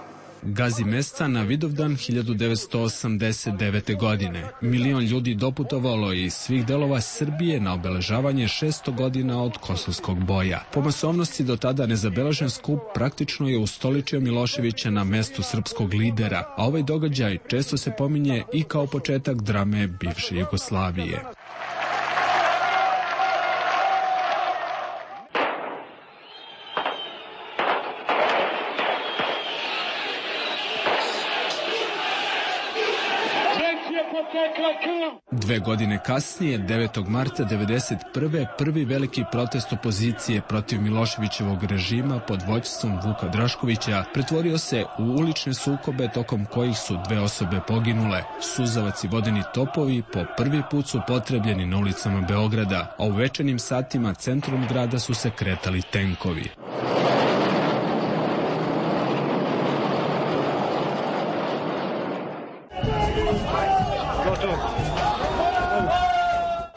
Gazi mesta na Vidovdan hiljadu devetsto osamdeset devete. godine. Milion ljudi doputovalo je iz svih delova Srbije na obeležavanje šesto godina od kosovskog boja. Po masovnosti do tada nezabeležen skup praktično je ustoličio Miloševića na mestu srpskog lidera, a ovaj događaj često se pominje i kao početak drame bivše Jugoslavije. Dve godine kasnije, devetog marta devedeset prve. prvi veliki protest opozicije protiv Miloševićevog režima pod vođstvom Vuka Draškovića pretvorio se u ulične sukobe tokom kojih su dve osobe poginule. Suzavac i vodeni topovi po prvi put su potrebljeni na ulicama Beograda, a u večernjim satima centrom grada su se kretali tenkovi.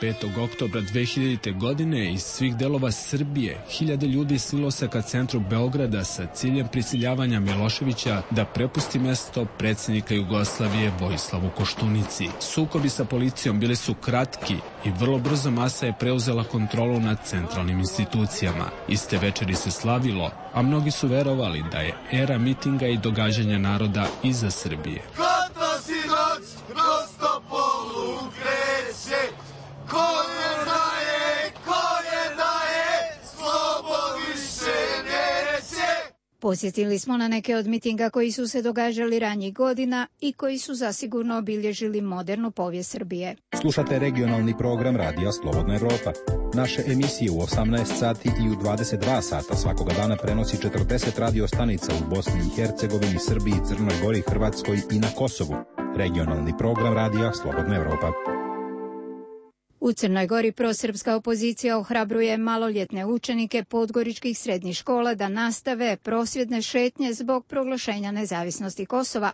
petog oktobra dve hiljadite. godine iz svih delova Srbije hiljade ljudi slilo se ka centru Beograda sa ciljem prisiljavanja Miloševića da prepusti mesto predsjednika Jugoslavije Vojislavu Koštunici. Sukobi sa policijom bili su kratki i vrlo brzo masa je preuzela kontrolu nad centralnim institucijama. Iste večeri se slavilo, a mnogi su verovali da je era mitinga i događanja naroda iza Srbije. Kada si noć kroz Topolu kreće, ko je daje, ko je daje, slobo više neće. Posjetili smo na neke od mitinga koji su se događali ranjih godina i koji su zasigurno obilježili modernu povijest Srbije. Slušate regionalni program Radija Slobodna Evropa. Naše emisije u osamnaest sati i u dvadeset dva sata svakoga dana prenosi četrdeset radio stanica u Bosni i Hercegovini, Srbiji, Crnoj Gori, Hrvatskoj i na Kosovu. Regionalni program Radija Slobodna Evropa. U Crnoj Gori prosrpska opozicija ohrabruje maloljetne učenike podgoričkih srednjih škola da nastave prosvjedne šetnje zbog proglašenja nezavisnosti Kosova.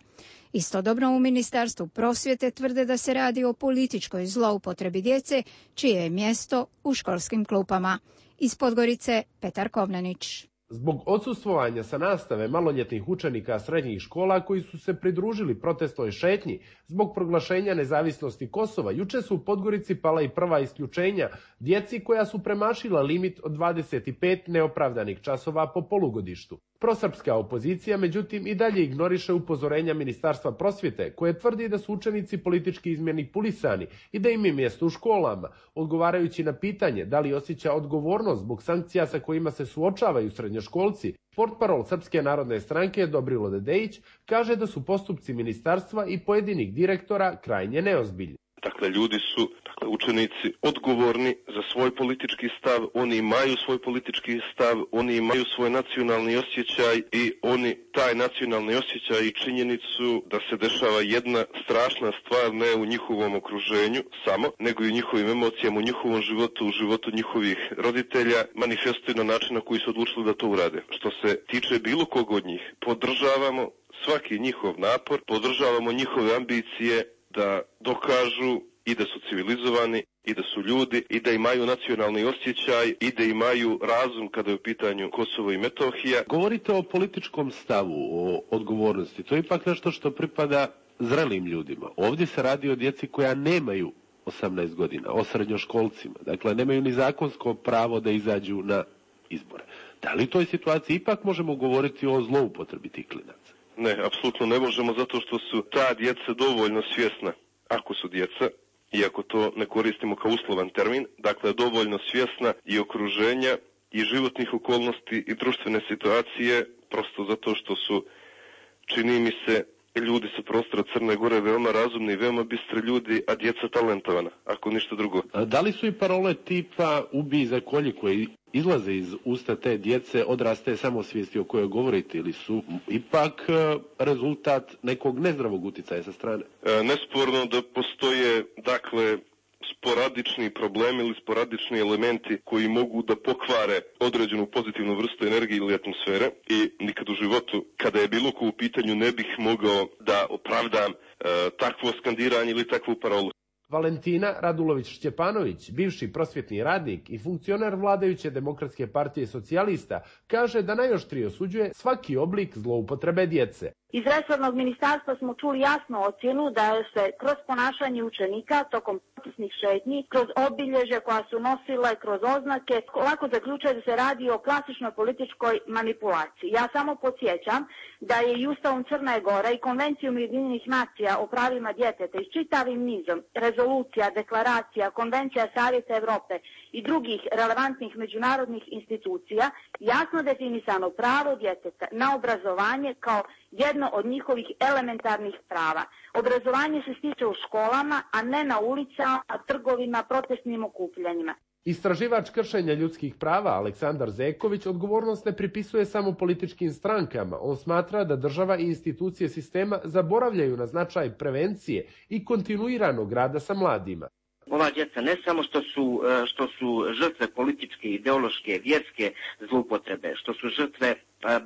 Istodobno u Ministarstvu prosvjete tvrde da se radi o političkoj zloupotrebi djece, čije je mjesto u školskim klupama. Iz Podgorice Petar Kovnanić. Zbog odsustvovanja sa nastave maloljetnih učenika srednjih škola koji su se pridružili protestnoj šetnji zbog proglašenja nezavisnosti Kosova, juče su u Podgorici pala i prva isključenja djeci koja su premašila limit od dvadeset pet neopravdanih časova po polugodištu. Prosrpska opozicija, međutim, i dalje ignoriše upozorenja Ministarstva prosvjete, koje tvrdi da su učenici politički izmanipulisani i da im je mjesto u školama, odgovarajući na pitanje da li osjeća odgovornost zbog sankcija sa kojima se suočavaju srednjoškolci. Portparol Srpske narodne stranke Dobrilo Dedejić kaže da su postupci ministarstva i pojedinih direktora krajnje neozbiljni. Dakle, ljudi su, dakle, učenici odgovorni za svoj politički stav, oni imaju svoj politički stav, oni imaju svoj nacionalni osjećaj i oni taj nacionalni osjećaj i činjenicu da se dešava jedna strašna stvar ne u njihovom okruženju samo, nego i u njihovim emocijama, u njihovom životu, u životu njihovih roditelja, manifestuju na način na koji su odlučili da to urade. Što se tiče bilo kog od njih, podržavamo svaki njihov napor, podržavamo njihove ambicije da dokažu i da su civilizovani, i da su ljudi, i da imaju nacionalni osjećaj, i da imaju razum kada je u pitanju Kosovo i Metohija. Govorite o političkom stavu, o odgovornosti. To je ipak nešto što pripada zrelim ljudima. Ovdje se radi o djeci koja nemaju osamnaest godina, o srednjoškolcima. Dakle, nemaju ni zakonsko pravo da izađu na izbore. Da li u toj situaciji ipak možemo govoriti o zloupotrebi tih klinaca? Ne, apsolutno ne možemo, zato što su ta djeca dovoljno svjesna, ako su djeca, iako to ne koristimo kao uslovan termin, dakle dovoljno svjesna i okruženja i životnih okolnosti i društvene situacije, prosto zato što su, čini mi se, ljudi sa prostora Crne Gore veoma razumni i veoma bistri ljudi, a djeca talentovana, ako ništa drugo. A da li su i parole tipa ubij za kolji koji izlaze iz usta te djece odraste samosvijesti o kojoj govorite, ili su ipak rezultat nekog nezdravog uticaja sa strane? E, nesporno da postoje, dakle, sporadični problemi ili sporadični elementi koji mogu da pokvare određenu pozitivnu vrstu energije ili atmosfere i nikad u životu, kada je bilo ko u pitanju, ne bih mogao da opravdam e, takvo skandiranje ili takvu parolu. Valentina Radulović-Šćepanović, bivši prosvjetni radnik i funkcioner vladajuće Demokratske partije socijalista, kaže da najoštrije osuđuje svaki oblik zloupotrebe djece. Iz resornog ministarstva smo čuli jasnu ocjenu da se kroz ponašanje učenika tokom protestnih šetnji, kroz obilježja koja su nosile, kroz oznake, lako zaključuje da se radi o klasičnoj političkoj manipulaciji. Ja samo podsjećam da je i Ustavom Crne Gore i Konvencijom Ujedinjenih nacija o pravima djeteta i čitavim nizom rezolucija, deklaracija, Konvencija Savjeta Evrope i drugih relevantnih međunarodnih institucija jasno definisano pravo djeteta na obrazovanje kao jedno od njihovih elementarnih prava. Obrazovanje se stiče u školama, a ne na ulicama, trgovima, protestnim okupljanjima. Istraživač kršenja ljudskih prava Aleksandar Zeković odgovornost ne pripisuje samo političkim strankama. On smatra da država i institucije sistema zaboravljaju na značaj prevencije i kontinuiranog rada sa mladima. Ova djeca ne samo što su, što su žrtve političke, ideološke, vjerske zloupotrebe, što su žrtve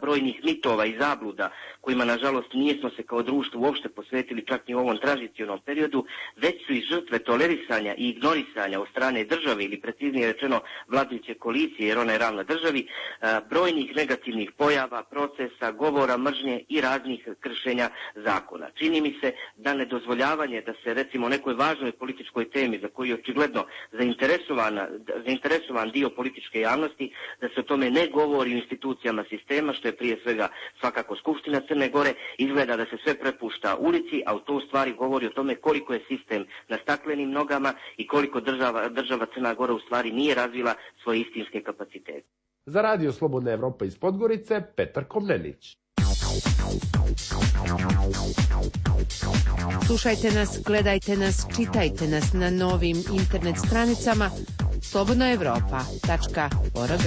brojnih mitova i zabluda kojima nažalost nijesmo se kao društvo uopšte posvetili čak i u ovom tranzicionom periodu, već su i žrtve tolerisanja i ignorisanja od strane države ili preciznije rečeno vladajuće koalicije, jer ona je ravna državi, brojnih negativnih pojava, procesa, govora mržnje i raznih kršenja zakona. Čini mi se da nedozvoljavanje da se recimo nekoj važnoj političkoj temi za koju je očigledno zainteresovan dio političke javnosti, da se o tome ne govori u institucijama sistema, što je prije svega svakako Skupština Crne Gore, izgleda da se sve prepušta ulici, a u to u stvari govori o tome koliko je sistem na staklenim nogama i koliko država, država Crna Gora u stvari nije razvila svoje istinske kapacitete. Za Radio Slobodna Evropa iz Podgorice, Petar Komnenić. Slušajte nas, gledajte nas, čitajte nas na novim internet stranicama slobodna evropa tačka org.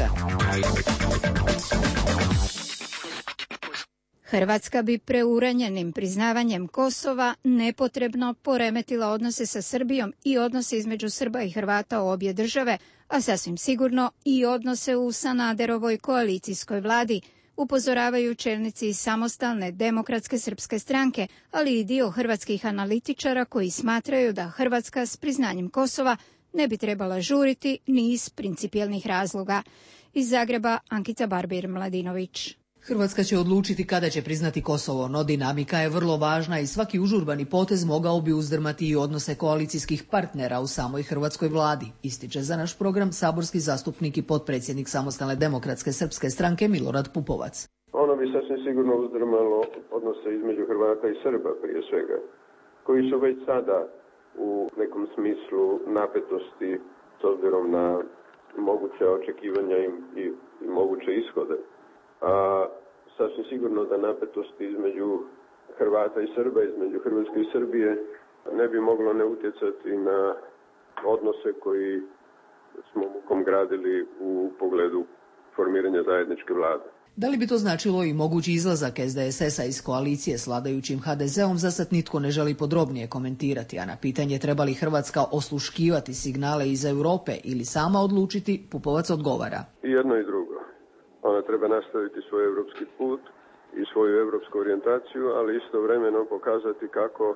Hrvatska bi preuranjenim priznavanjem Kosova nepotrebno poremetila odnose sa Srbijom i odnose između Srba i Hrvata u obje države, a sasvim sigurno i odnose u Sanaderovoj koalicijskoj vladi, upozoravaju čelnici iz Samostalne demokratske srpske stranke, ali i dio hrvatskih analitičara koji smatraju da Hrvatska s priznanjem Kosova ne bi trebala žuriti ni iz principijelnih razloga. Iz Zagreba, Ankica Barbir-Mladinović. Hrvatska će odlučiti kada će priznati Kosovo, no dinamika je vrlo važna i svaki užurbani potez mogao bi uzdrmati i odnose koalicijskih partnera u samoj hrvatskoj vladi, ističe za naš program saborski zastupnik i potpredsjednik Samostalne demokratske srpske stranke Milorad Pupovac. Ono bi sasvim sigurno uzdrmalo odnose između Hrvata i Srba prije svega, koji su već sada u nekom smislu napetosti s obzirom na moguće očekivanja i, i, i moguće ishode. A sasvim sigurno da napetosti između Hrvata i Srba, između Hrvatske i Srbije ne bi moglo ne utjecati na odnose koji smo mukom gradili u pogledu formiranja zajedničke vlade. Da li bi to značilo i mogući izlazak es de es es-a iz koalicije s vladajućim ha de zeom, za sad nitko ne želi podrobnije komentirati, a na pitanje treba li Hrvatska osluškivati signale iz Europe ili sama odlučiti, Pupovac odgovara. I jedno i drugo. Ona treba nastaviti svoj evropski put i svoju evropsku orijentaciju, ali istovremeno pokazati kako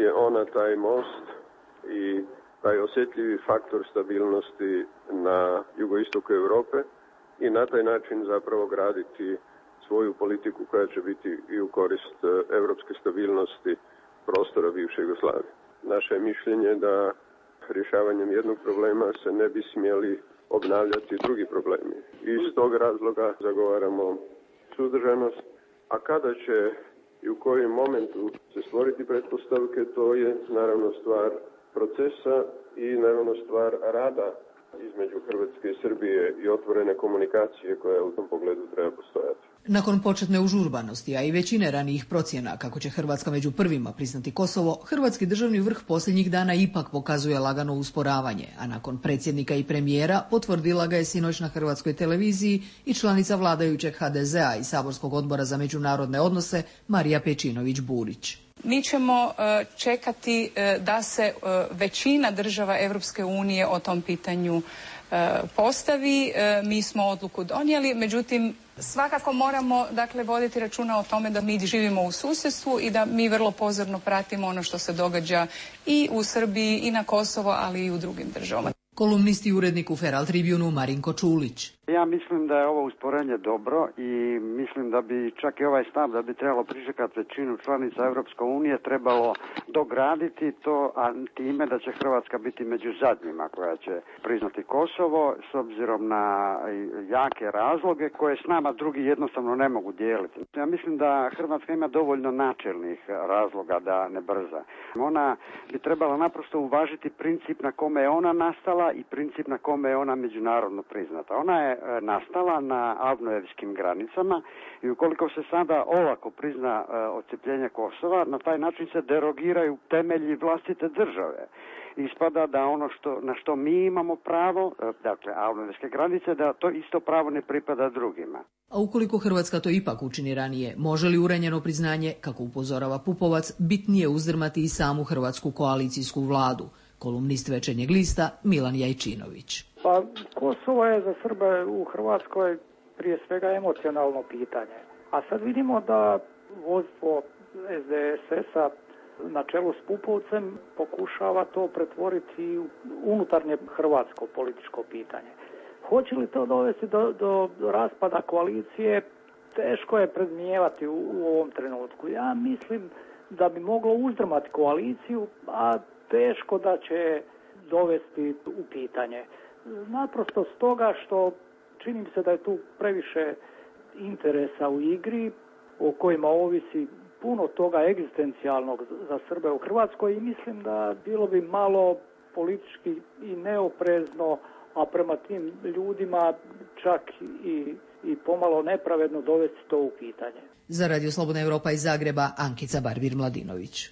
je ona taj most i taj osjetljivi faktor stabilnosti na jugoistoku Europe i na taj način zapravo graditi svoju politiku koja će biti i u korist evropske stabilnosti prostora bivše Jugoslavije. Naše je mišljenje da rješavanjem jednog problema se ne bi smjeli obnavljati drugi problemi. I iz tog razloga zagovaramo suzdržanost, a kada će i u kojem momentu se stvoriti pretpostavke, to je naravno stvar procesa i naravno stvar rada između Hrvatske i Srbije i otvorene komunikacije koja u tom pogledu treba postojati. Nakon početne užurbanosti, a i većine ranijih procjena kako će Hrvatska među prvima priznati Kosovo, hrvatski državni vrh posljednjih dana ipak pokazuje lagano usporavanje, a nakon predsjednika i premijera potvrdila ga je sinoć na hrvatskoj televiziji i članica vladajućeg ha de zea i saborskog odbora za međunarodne odnose Marija Pejčinović-Burić. Mi ćemo čekati da se većina država Europske unije o tom pitanju postavi. Mi smo odluku donijeli, međutim svakako moramo dakle voditi računa o tome da mi živimo u susjedstvu i da mi vrlo pozorno pratimo ono što se događa i u Srbiji i na Kosovo, ali i u drugim državama. Kolumnist i urednik u Feral Tribunu Marinko Čulić. Ja mislim da je ovo usporenje dobro i mislim da bi čak i ovaj stav da bi trebalo pričekati većinu članica Europske unije trebalo dograditi to, a time da će Hrvatska biti među zadnjima koja će priznati Kosovo s obzirom na jake razloge koje s nama drugi jednostavno ne mogu dijeliti. Ja mislim da Hrvatska ima dovoljno načelnih razloga da ne brza. Ona bi trebala naprosto uvažiti princip na kome je ona nastala i princip na kome je ona međunarodno priznata. Ona je nastala na avnojevskim granicama i ukoliko se sada olako prizna odcepljenje Kosova, na taj način se derogiraju temelji vlastite države. Ispada da ono što, na što mi imamo pravo, dakle avnojevske granice, da to isto pravo ne pripada drugima. A ukoliko Hrvatska to ipak učini ranije, može li uranjeno priznanje, kako upozorava Pupovac, bitnije uzdrmati i samu hrvatsku koalicijsku vladu? Kolumnist Večernjeg lista Milan Jajčinović. Pa Kosovo je za Srbe u Hrvatskoj prije svega emocionalno pitanje. A sad vidimo da vodstvo es de es es-a na čelu s Pupovcem pokušava to pretvoriti u unutarnje hrvatsko političko pitanje. Hoće li to dovesti do, do, do raspada koalicije? Teško je predmijevati u, u ovom trenutku. Ja mislim da bi moglo uzdrmati koaliciju, a teško da će dovesti u pitanje. Naprosto stoga što čini mi se da je tu previše interesa u igri o kojima ovisi puno toga egzistencijalnog za Srbe u Hrvatskoj i mislim da bilo bi malo politički i neoprezno, a prema tim ljudima čak i, i pomalo nepravedno dovesti to u pitanje. Za Radio Slobodna Evropa iz Zagreba, Ankica Barbir-Mladinović.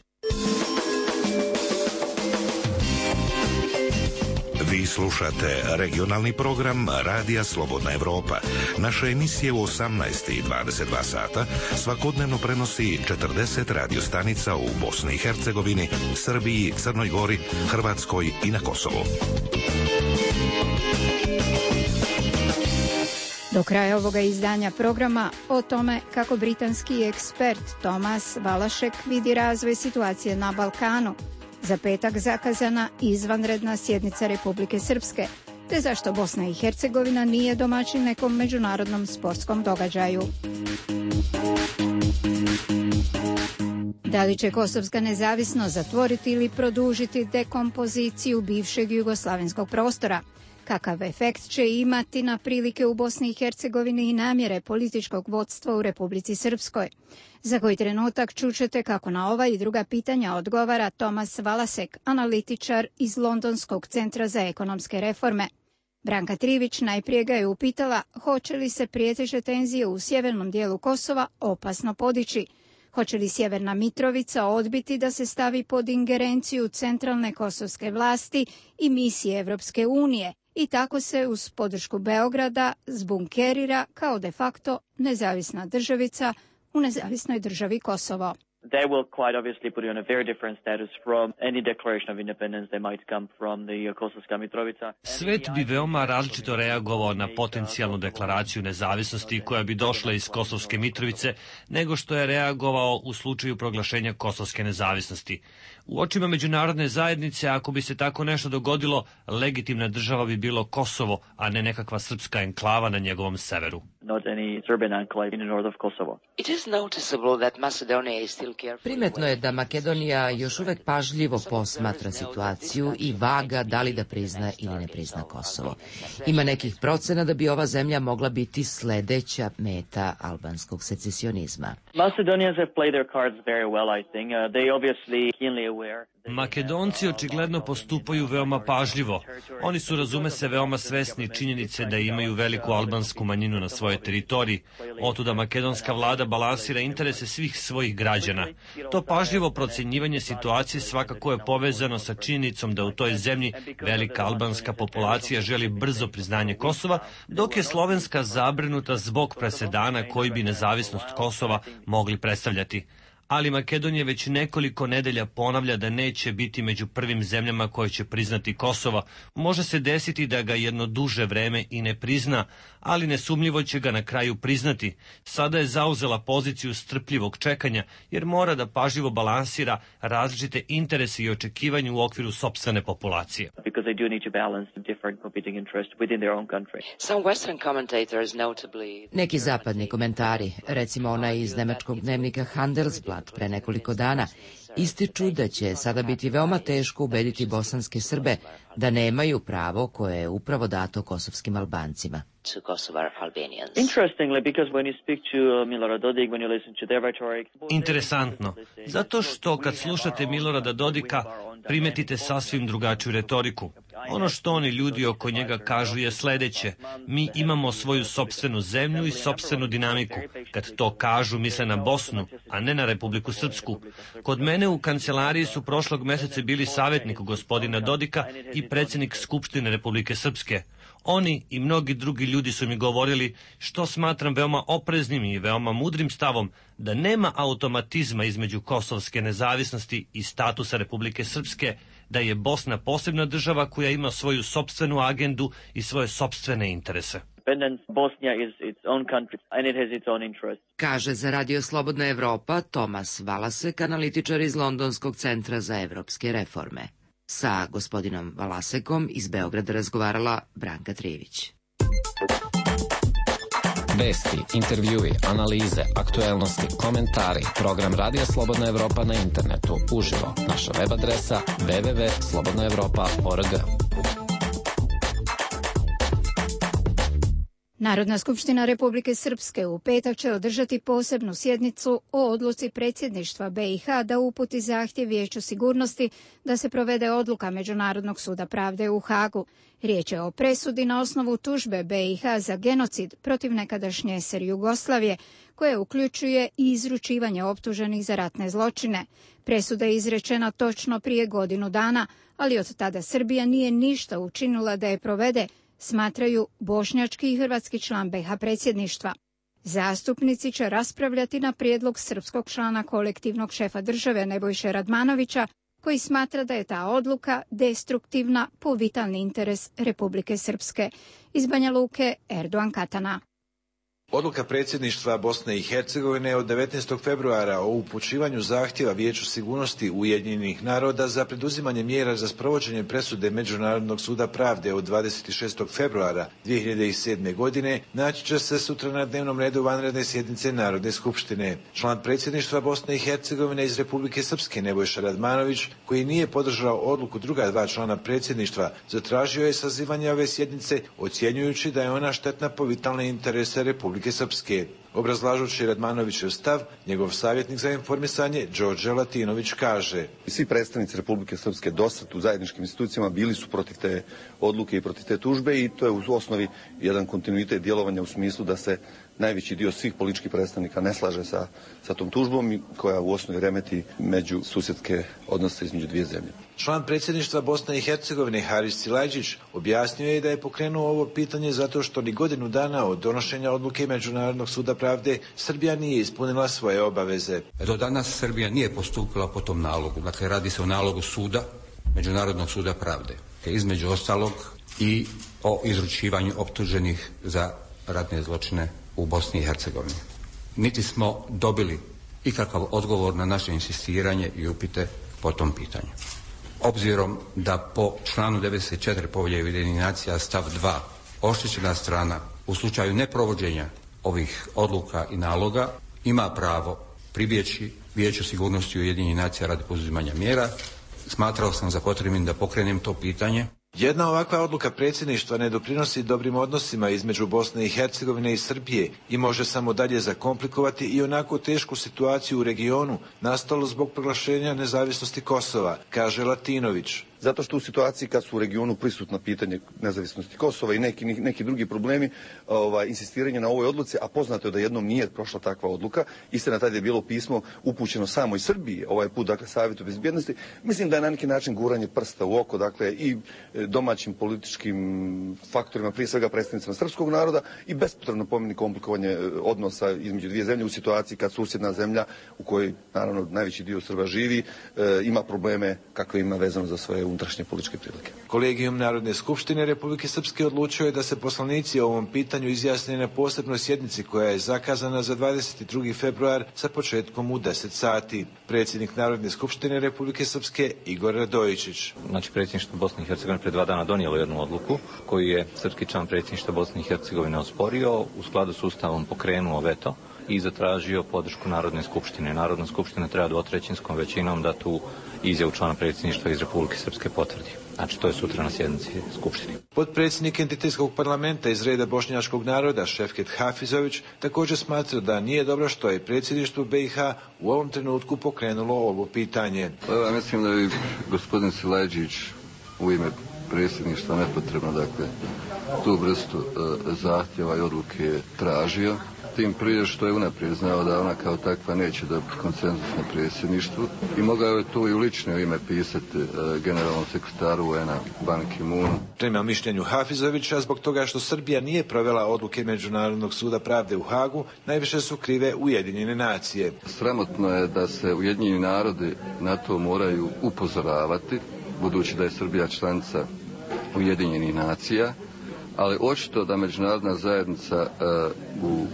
Vi slušate regionalni program Radija Slobodna Evropa. Naše emisije u osamnaest i dvadeset dva sata svakodnevno prenosi četrdeset radiostanica u Bosni i Hercegovini, Srbiji, Crnoj Gori, Hrvatskoj i na Kosovu. Do kraja ovoga izdanja programa o tome kako britanski ekspert Thomas Valašek vidi razvoj situacije na Balkanu, za petak zakazana izvanredna sjednica Republike Srpske, te zašto Bosna i Hercegovina nije domaćin nekom međunarodnom sportskom događaju. Da li će kosovska nezavisnost zatvoriti ili produžiti dekompoziciju bivšeg jugoslavenskog prostora? Kakav efekt će imati na prilike u Bosni i Hercegovini i namjere političkog vodstva u Republici Srpskoj? Za koji trenutak čućete kako na ova i druga pitanja odgovara Thomas Valasek, analitičar iz Londonskog centra za ekonomske reforme. Branka Trivić najprije ga je upitala hoće li se prijeteće tenzije u sjevernom dijelu Kosova opasno podići. Hoće li Sjeverna Mitrovica odbiti da se stavi pod ingerenciju centralne kosovske vlasti i misije Evropske unije i tako se uz podršku Beograda zbunkerira kao de facto nezavisna državica u nezavisnoj državi Kosovo? They will quite obviously put you on a very different status from any declaration of independence that might come from the Kosovska Mitrovica. Svet bi veoma različito reagovao na potencijalnu deklaraciju nezavisnosti koja bi došla iz Kosovske Mitrovice nego što je reagovao u slučaju proglašenja kosovske nezavisnosti. U očima međunarodne zajednice, ako bi se tako nešto dogodilo, legitimna država bi bilo Kosovo, a ne nekakva srpska enklava na njegovom severu. Not any Serbian enclave in the north of Kosovo. It is noticeable that Macedonia is still careful. Primetno je da Makedonija još uvek pažljivo posmatra situaciju i vaga da li da prizna ili ne prizna Kosovo. Ima nekih procena da bi ova zemlja mogla biti sledeća meta albanskog secesionizma. Macedonians have played their cards very well, I think. Uh, they obviously keenly aware. Makedonci očigledno postupaju veoma pažljivo. Oni su, razume se, veoma svesni činjenice da imaju veliku albansku manjinu na svojoj teritoriji. Otuda makedonska vlada balansira interese svih svojih građana. To pažljivo procjenjivanje situacije svakako je povezano sa činjenicom da u toj zemlji velika albanska populacija želi brzo priznanje Kosova, dok je slovenska zabrinuta zbog presedana koji bi nezavisnost Kosova mogli predstavljati. Ali Makedonija već nekoliko nedelja ponavlja da neće biti među prvim zemljama koje će priznati Kosova. Može se desiti da ga jedno duže vreme i ne prizna, ali nesumnjivo će ga na kraju priznati. Sada je zauzela poziciju strpljivog čekanja, jer mora da pažljivo balansira različite interese i očekivanja u okviru sopstvene populacije. Neki zapadni komentari, recimo onaj iz nemačkog dnevnika Handelsblatt pre nekoliko dana, ističu da će sada biti veoma teško ubediti bosanske Srbe da nemaju pravo koje je upravo dato kosovskim Albancima. Interesantno, zato što kad slušate Milorada Dodika primetite sasvim drugačiju retoriku. Ono što oni ljudi oko njega kažu je sledeće: mi imamo svoju sopstvenu zemlju i sopstvenu dinamiku. Kad to kažu, misle na Bosnu, a ne na Republiku Srpsku. Kod mene u kancelariji su prošlog meseca bili savjetnik gospodina Dodika i predsjednik Skupštine Republike Srpske. Oni i mnogi drugi ljudi su mi govorili, što smatram veoma opreznim i veoma mudrim stavom, da nema automatizma između kosovske nezavisnosti i statusa Republike Srpske, da je Bosna posebna država koja ima svoju sopstvenu agendu i svoje sopstvene interese. independence. Bosnia is its own country and it has its own interests. Kaže za Radio Slobodna Evropa Tomas Valasek, analitičar iz Londonskog centra za evropske reforme. Sa gospodinom Valasekom iz Beograda razgovarala Branka Trivić. Vesti, intervjui, analize, aktuelnosti, komentari, program Radija Slobodna Evropa na internetu, uživo, naša web adresa w w w tačka slobodna evropa tačka org. Narodna skupština Republike Srpske u petak će održati posebnu sjednicu o odluci predsjedništva be i ha da uputi zahtjev Vijeću sigurnosti da se provede odluka Međunarodnog suda pravde u Hagu. Riječ je o presudi na osnovu tužbe be i ha za genocid protiv nekadašnje es er Jugoslavije, koje uključuje i izručivanje optuženih za ratne zločine. Presuda je izrečena točno prije godinu dana, ali od tada Srbija nije ništa učinila da je provede, smatraju bošnjački i hrvatski član be ha predsjedništva. Zastupnici će raspravljati na prijedlog srpskog člana kolektivnog šefa države Nebojše Radmanovića, koji smatra da je ta odluka destruktivna po vitalni interes Republike Srpske. Iz Banja Luke, Erdogan Katana. Odluka predsjedništva Bosne i Hercegovine od devetnaestog februara o upućivanju zahtjeva Vijeću sigurnosti Ujedinjenih naroda za preduzimanje mjera za sprovođenje presude Međunarodnog suda pravde od dvadeset šestog februara dvije hiljade sedme. godine naći će se sutra na dnevnom redu vanredne sjednice Narodne skupštine. Član predsjedništva Bosne i Hercegovine iz Republike Srpske Nebojša Radmanović, koji nije podržao odluku druga dva člana predsjedništva, zatražio je sazivanje ove sjednice, ocjenjujući da je ona štetna po vitalne interese Republike Srpske. Obrazlažući Radmanovićev stav, njegov savjetnik za informisanje Đorđe Latinović kaže: Svi predstavnici Republike Srpske dosad u zajedničkim institucijama bili su protiv te odluke i protiv te tužbe i to je u osnovi jedan kontinuitet djelovanja u smislu da se najveći dio svih političkih predstavnika ne slaže sa, sa tom tužbom koja u osnovi remeti među susjedske odnose između dvije zemlje. Član predsjedništva Bosne i Hercegovine Haris Silajđić objasnio je da je pokrenuo ovo pitanje zato što ni godinu dana od donošenja odluke Međunarodnog suda pravde Srbija nije ispunila svoje obaveze. Do danas Srbija nije postupila po tom nalogu. Dakle, radi se o nalogu suda, Međunarodnog suda pravde. Te između ostalog i o izručivanju optuženih za ratne zločine u Bosni i Hercegovini. Niti smo dobili ikakav odgovor na naše insistiranje i upite po tom pitanju. Obzirom da po članu devedeset četiri Povelje Ujedinjenih nacija stav dva oštećena strana u slučaju neprovođenja ovih odluka i naloga ima pravo pribjeći Vijeću sigurnosti Ujedinjenih nacija radi poduzimanja mjera, smatrao sam za potrebnim da pokrenem to pitanje. Jedna ovakva odluka predsjedništva ne doprinosi dobrim odnosima između Bosne i Hercegovine i Srbije i može samo dalje zakomplikovati i onako tešku situaciju u regionu nastalu zbog proglašenja nezavisnosti Kosova, kaže Latinović. Zato što u situaciji kad su u regionu prisutna pitanje nezavisnosti Kosova i neki, neki drugi problemi, ovaj, insistiranje na ovoj odluci, a poznato je da jednom nije prošla takva odluka, istina tada je bilo pismo upućeno samo iz Srbije, ovaj put, dakle, Savjetu bezbjednosti, mislim da je na neki način guranje prsta u oko, dakle, i domaćim političkim faktorima, prije svega predstavnicima srpskog naroda i bespotrebno pomeni komplikovanje odnosa između dvije zemlje u situaciji kad susjedna zemlja u kojoj, naravno, najveći dio Srba živi, e, ima probleme kakve ima vezano za svoje unutrašnje političke prilike. Kolegijum Narodne skupštine Republike Srpske odlučio je da se poslanici o ovom pitanju izjasne na posebnoj sjednici koja je zakazana za dvadeset drugi februar sa početkom u deset sati. Predsjednik Narodne skupštine Republike Srpske Igor Radojičić. Znači, predsjedništvo Bosne i Hercegovine pred dva dana donijelo jednu odluku koju je srpski član predsjedništva Bosne i Hercegovine osporio, u skladu s Ustavom pokrenuo veto i zatražio podršku Narodne skupštine. Narodna skupština treba dvotrećinskom većinom da tu izjavu člana predsjedništva iz Republike Srpske potvrdi. Znači, to je sutra na sjednici Skupštine. Potpredsjednik entitetskog parlamenta iz reda bošnjačkog naroda Šefket Hafizović također smatra da nije dobro što je predsjedništvo be i ha u ovom trenutku pokrenulo ovo pitanje. Pa ja mislim da bi gospodin Silajđić u ime predsjedništva nepotrebno, dakle, tu vrstu e, zahtjeva i odluke tražio. Tim prije što je unaprijed znao da ona kao takva neće dobiti konsenzus na predsjedništvu i mogao je tu i u lično ime pisati e, generalnom sekretaru U N-a Ban Ki-moonu. Prema mišljenju Hafizovića, zbog toga što Srbija nije provela odluke Međunarodnog suda pravde u Hagu, najviše su krive Ujedinjene nacije. Sramotno je da se Ujedinjeni narodi na to moraju upozoravati, budući da je Srbija članica Ujedinjenih nacija, ali očito da međunarodna zajednica uh, u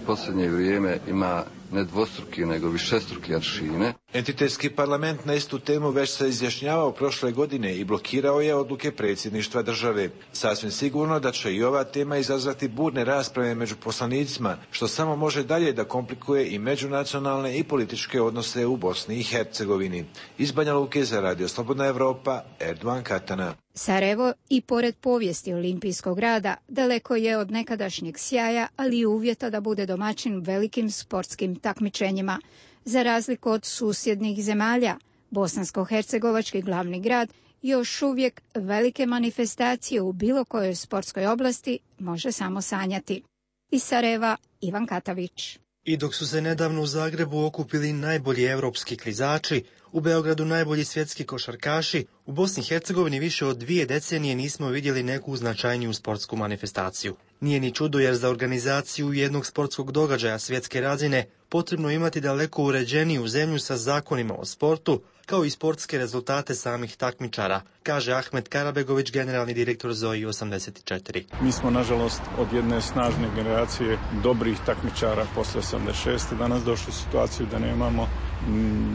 posljednje vrijeme ima ne dvostruki, nego višestruki aršine. Entitetski parlament na istu temu već se izjašnjavao prošle godine i blokirao je odluke predsjedništva države. Sasvim sigurno da će i ova tema izazvati burne rasprave među poslanicima, što samo može dalje da komplikuje i međunacionalne i političke odnose u Bosni i Hercegovini. Iz Banja Luke za Radio Slobodna Evropa, Erdogan Katana. Sarajevo i pored povijesti olimpijskog rada daleko je od nekadašnjeg sjaja, ali i uvjeta da bude domaćin velikim sportskim takmičenjima. Za razliku od susjednih zemalja, bosansko-hercegovački glavni grad još uvijek velike manifestacije u bilo kojoj sportskoj oblasti može samo sanjati. Iz Sarajeva, Ivan Katavić. I dok su se nedavno u Zagrebu okupili najbolji evropski klizači, u Beogradu najbolji svjetski košarkaši, u Bosni i Hercegovini više od dvije decenije nismo vidjeli neku značajniju sportsku manifestaciju. Nije ni čudo jer za organizaciju jednog sportskog događaja svjetske razine potrebno imati daleko uređeniju zemlju sa zakonima o sportu, kao i sportske rezultate samih takmičara, kaže Ahmet Karabegović, generalni direktor Zoji osamdeset četiri. Mi smo, nažalost, od jedne snažne generacije dobrih takmičara posle osamdeset šeste danas došli u situaciju da nemamo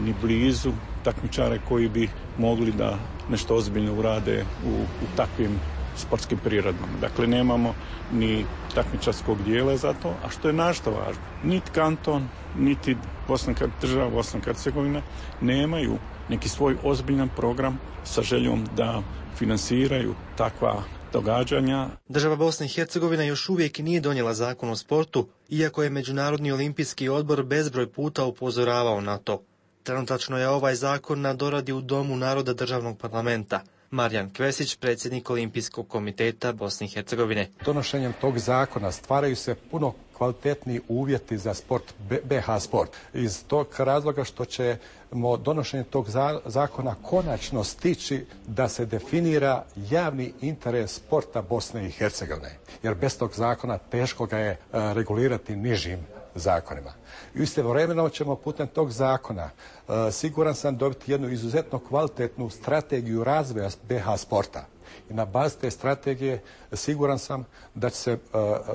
ni blizu takmičare koji bi mogli da nešto ozbiljno urade u, u takvim sportskim prirodama. Dakle, nemamo ni takmičarskog dijela za to, a što je našto važno. Niti kanton, niti Bosna, država Bosna i Hercegovina nemaju neki svoj ozbiljan program sa željom da finansiraju takva događanja. Država Bosna i Hercegovina još uvijek nije donijela zakon o sportu, iako je Međunarodni olimpijski odbor bezbroj puta upozoravao na to. Trenutačno je ovaj zakon na doradi u Domu naroda državnog parlamenta. Marijan Kvesić, predsjednik Olimpijskog komiteta Bosne i Hercegovine. Donošenjem tog zakona stvaraju se puno kvalitetniji uvjeti za sport, B H sport. Iz tog razloga što ćemo donošenjem tog zakona konačno stići da se definira javni interes sporta Bosne i Hercegovine. Jer bez tog zakona teško ga je regulirati nižim zakonima. I istovremeno ćemo putem tog zakona uh, siguran sam dobiti jednu izuzetno kvalitetnu strategiju razvoja B H sporta. I na bazi te strategije siguran sam da će se uh,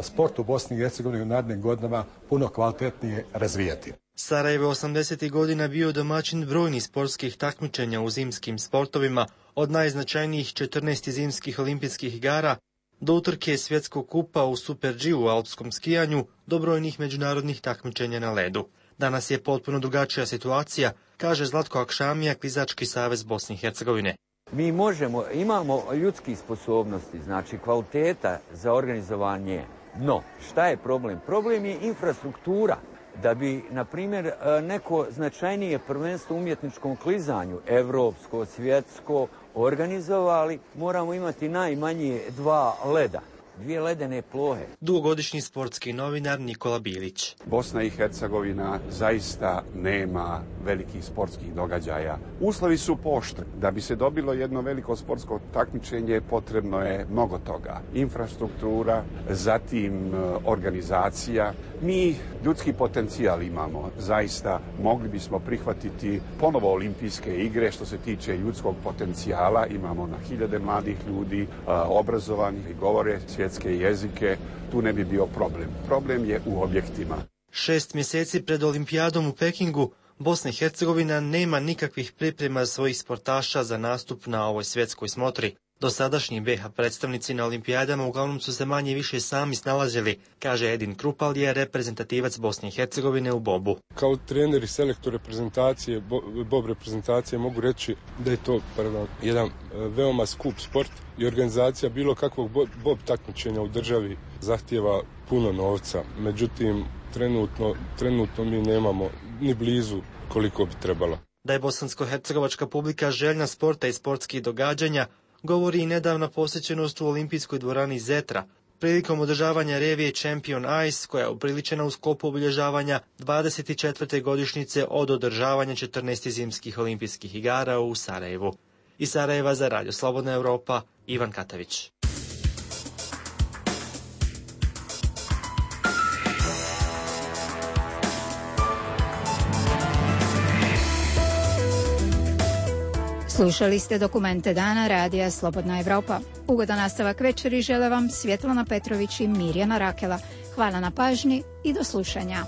sport u Bosni i Hercegovini u narednim godinama puno kvalitetnije razvijati. Sarajevo osamdesetih godina bio domaćin brojnih sportskih takmičenja u zimskim sportovima, od najznačajnijih četrnaest zimskih olimpijskih igara do utrke svjetskog kupa u Super G u alpskom skijanju, do brojnih međunarodnih takmičenja na ledu. Danas je potpuno drugačija situacija, kaže Zlatko Akšamija, Klizački savez Bosne i Hercegovine. Mi možemo, imamo ljudskih sposobnosti, znači kvaliteta za organizovanje, no šta je problem? Problem je infrastruktura. Da bi, na primjer, neko značajnije prvenstvo u umjetničkom klizanju, evropsko, svjetsko, organizovali, moramo imati najmanje dva leda, dvije ledene plohe. Dugogodišnji sportski novinar Nikola Bilić. Bosna i Hercegovina zaista nema velikih sportskih događaja. Uslovi su poštri. Da bi se dobilo jedno veliko sportsko takmičenje potrebno je mnogo toga. Infrastruktura, zatim organizacija. Mi ljudski potencijal imamo. Zaista mogli bismo prihvatiti ponovo olimpijske igre što se tiče ljudskog potencijala. Imamo na hiljade mladih ljudi, obrazovanih i govore svjetske jezike. Tu ne bi bio problem. Problem je u objektima. Šest mjeseci pred olimpijadom u Pekingu Bosna i Hercegovina nema nikakvih priprema svojih sportaša za nastup na ovoj svjetskoj smotri. Dosadašnji B H predstavnici na olimpijadama uglavnom su se manje više sami snalazili, kaže Edin Krupal, je reprezentativac Bosne i Hercegovine u bobu. Kao trener i selektor reprezentacije, bob reprezentacije, mogu reći da je to pardon, jedan veoma skup sport i organizacija bilo kakvog bob takmičenja u državi zahtijeva puno novca. Međutim, trenutno, trenutno mi nemamo ni blizu koliko bi trebalo. Da je bosansko-hercegovačka publika željna sporta i sportskih događanja, govori i nedavna posjećenost u olimpijskoj dvorani Zetra, prilikom održavanja revije Champion Ice, koja je upriličena u sklopu obilježavanja dvadeset četvrte godišnjice od održavanja četrnaest zimskih olimpijskih igara u Sarajevu. Iz Sarajeva za Radio Slobodna Evropa, Ivan Katavić. Slušali ste dokumente dana Radija Slobodna Evropa. Ugodan nastavak večeri žele vam Svjetlana Petrović i Mirjana Rakela. Hvala na pažnji i do slušanja.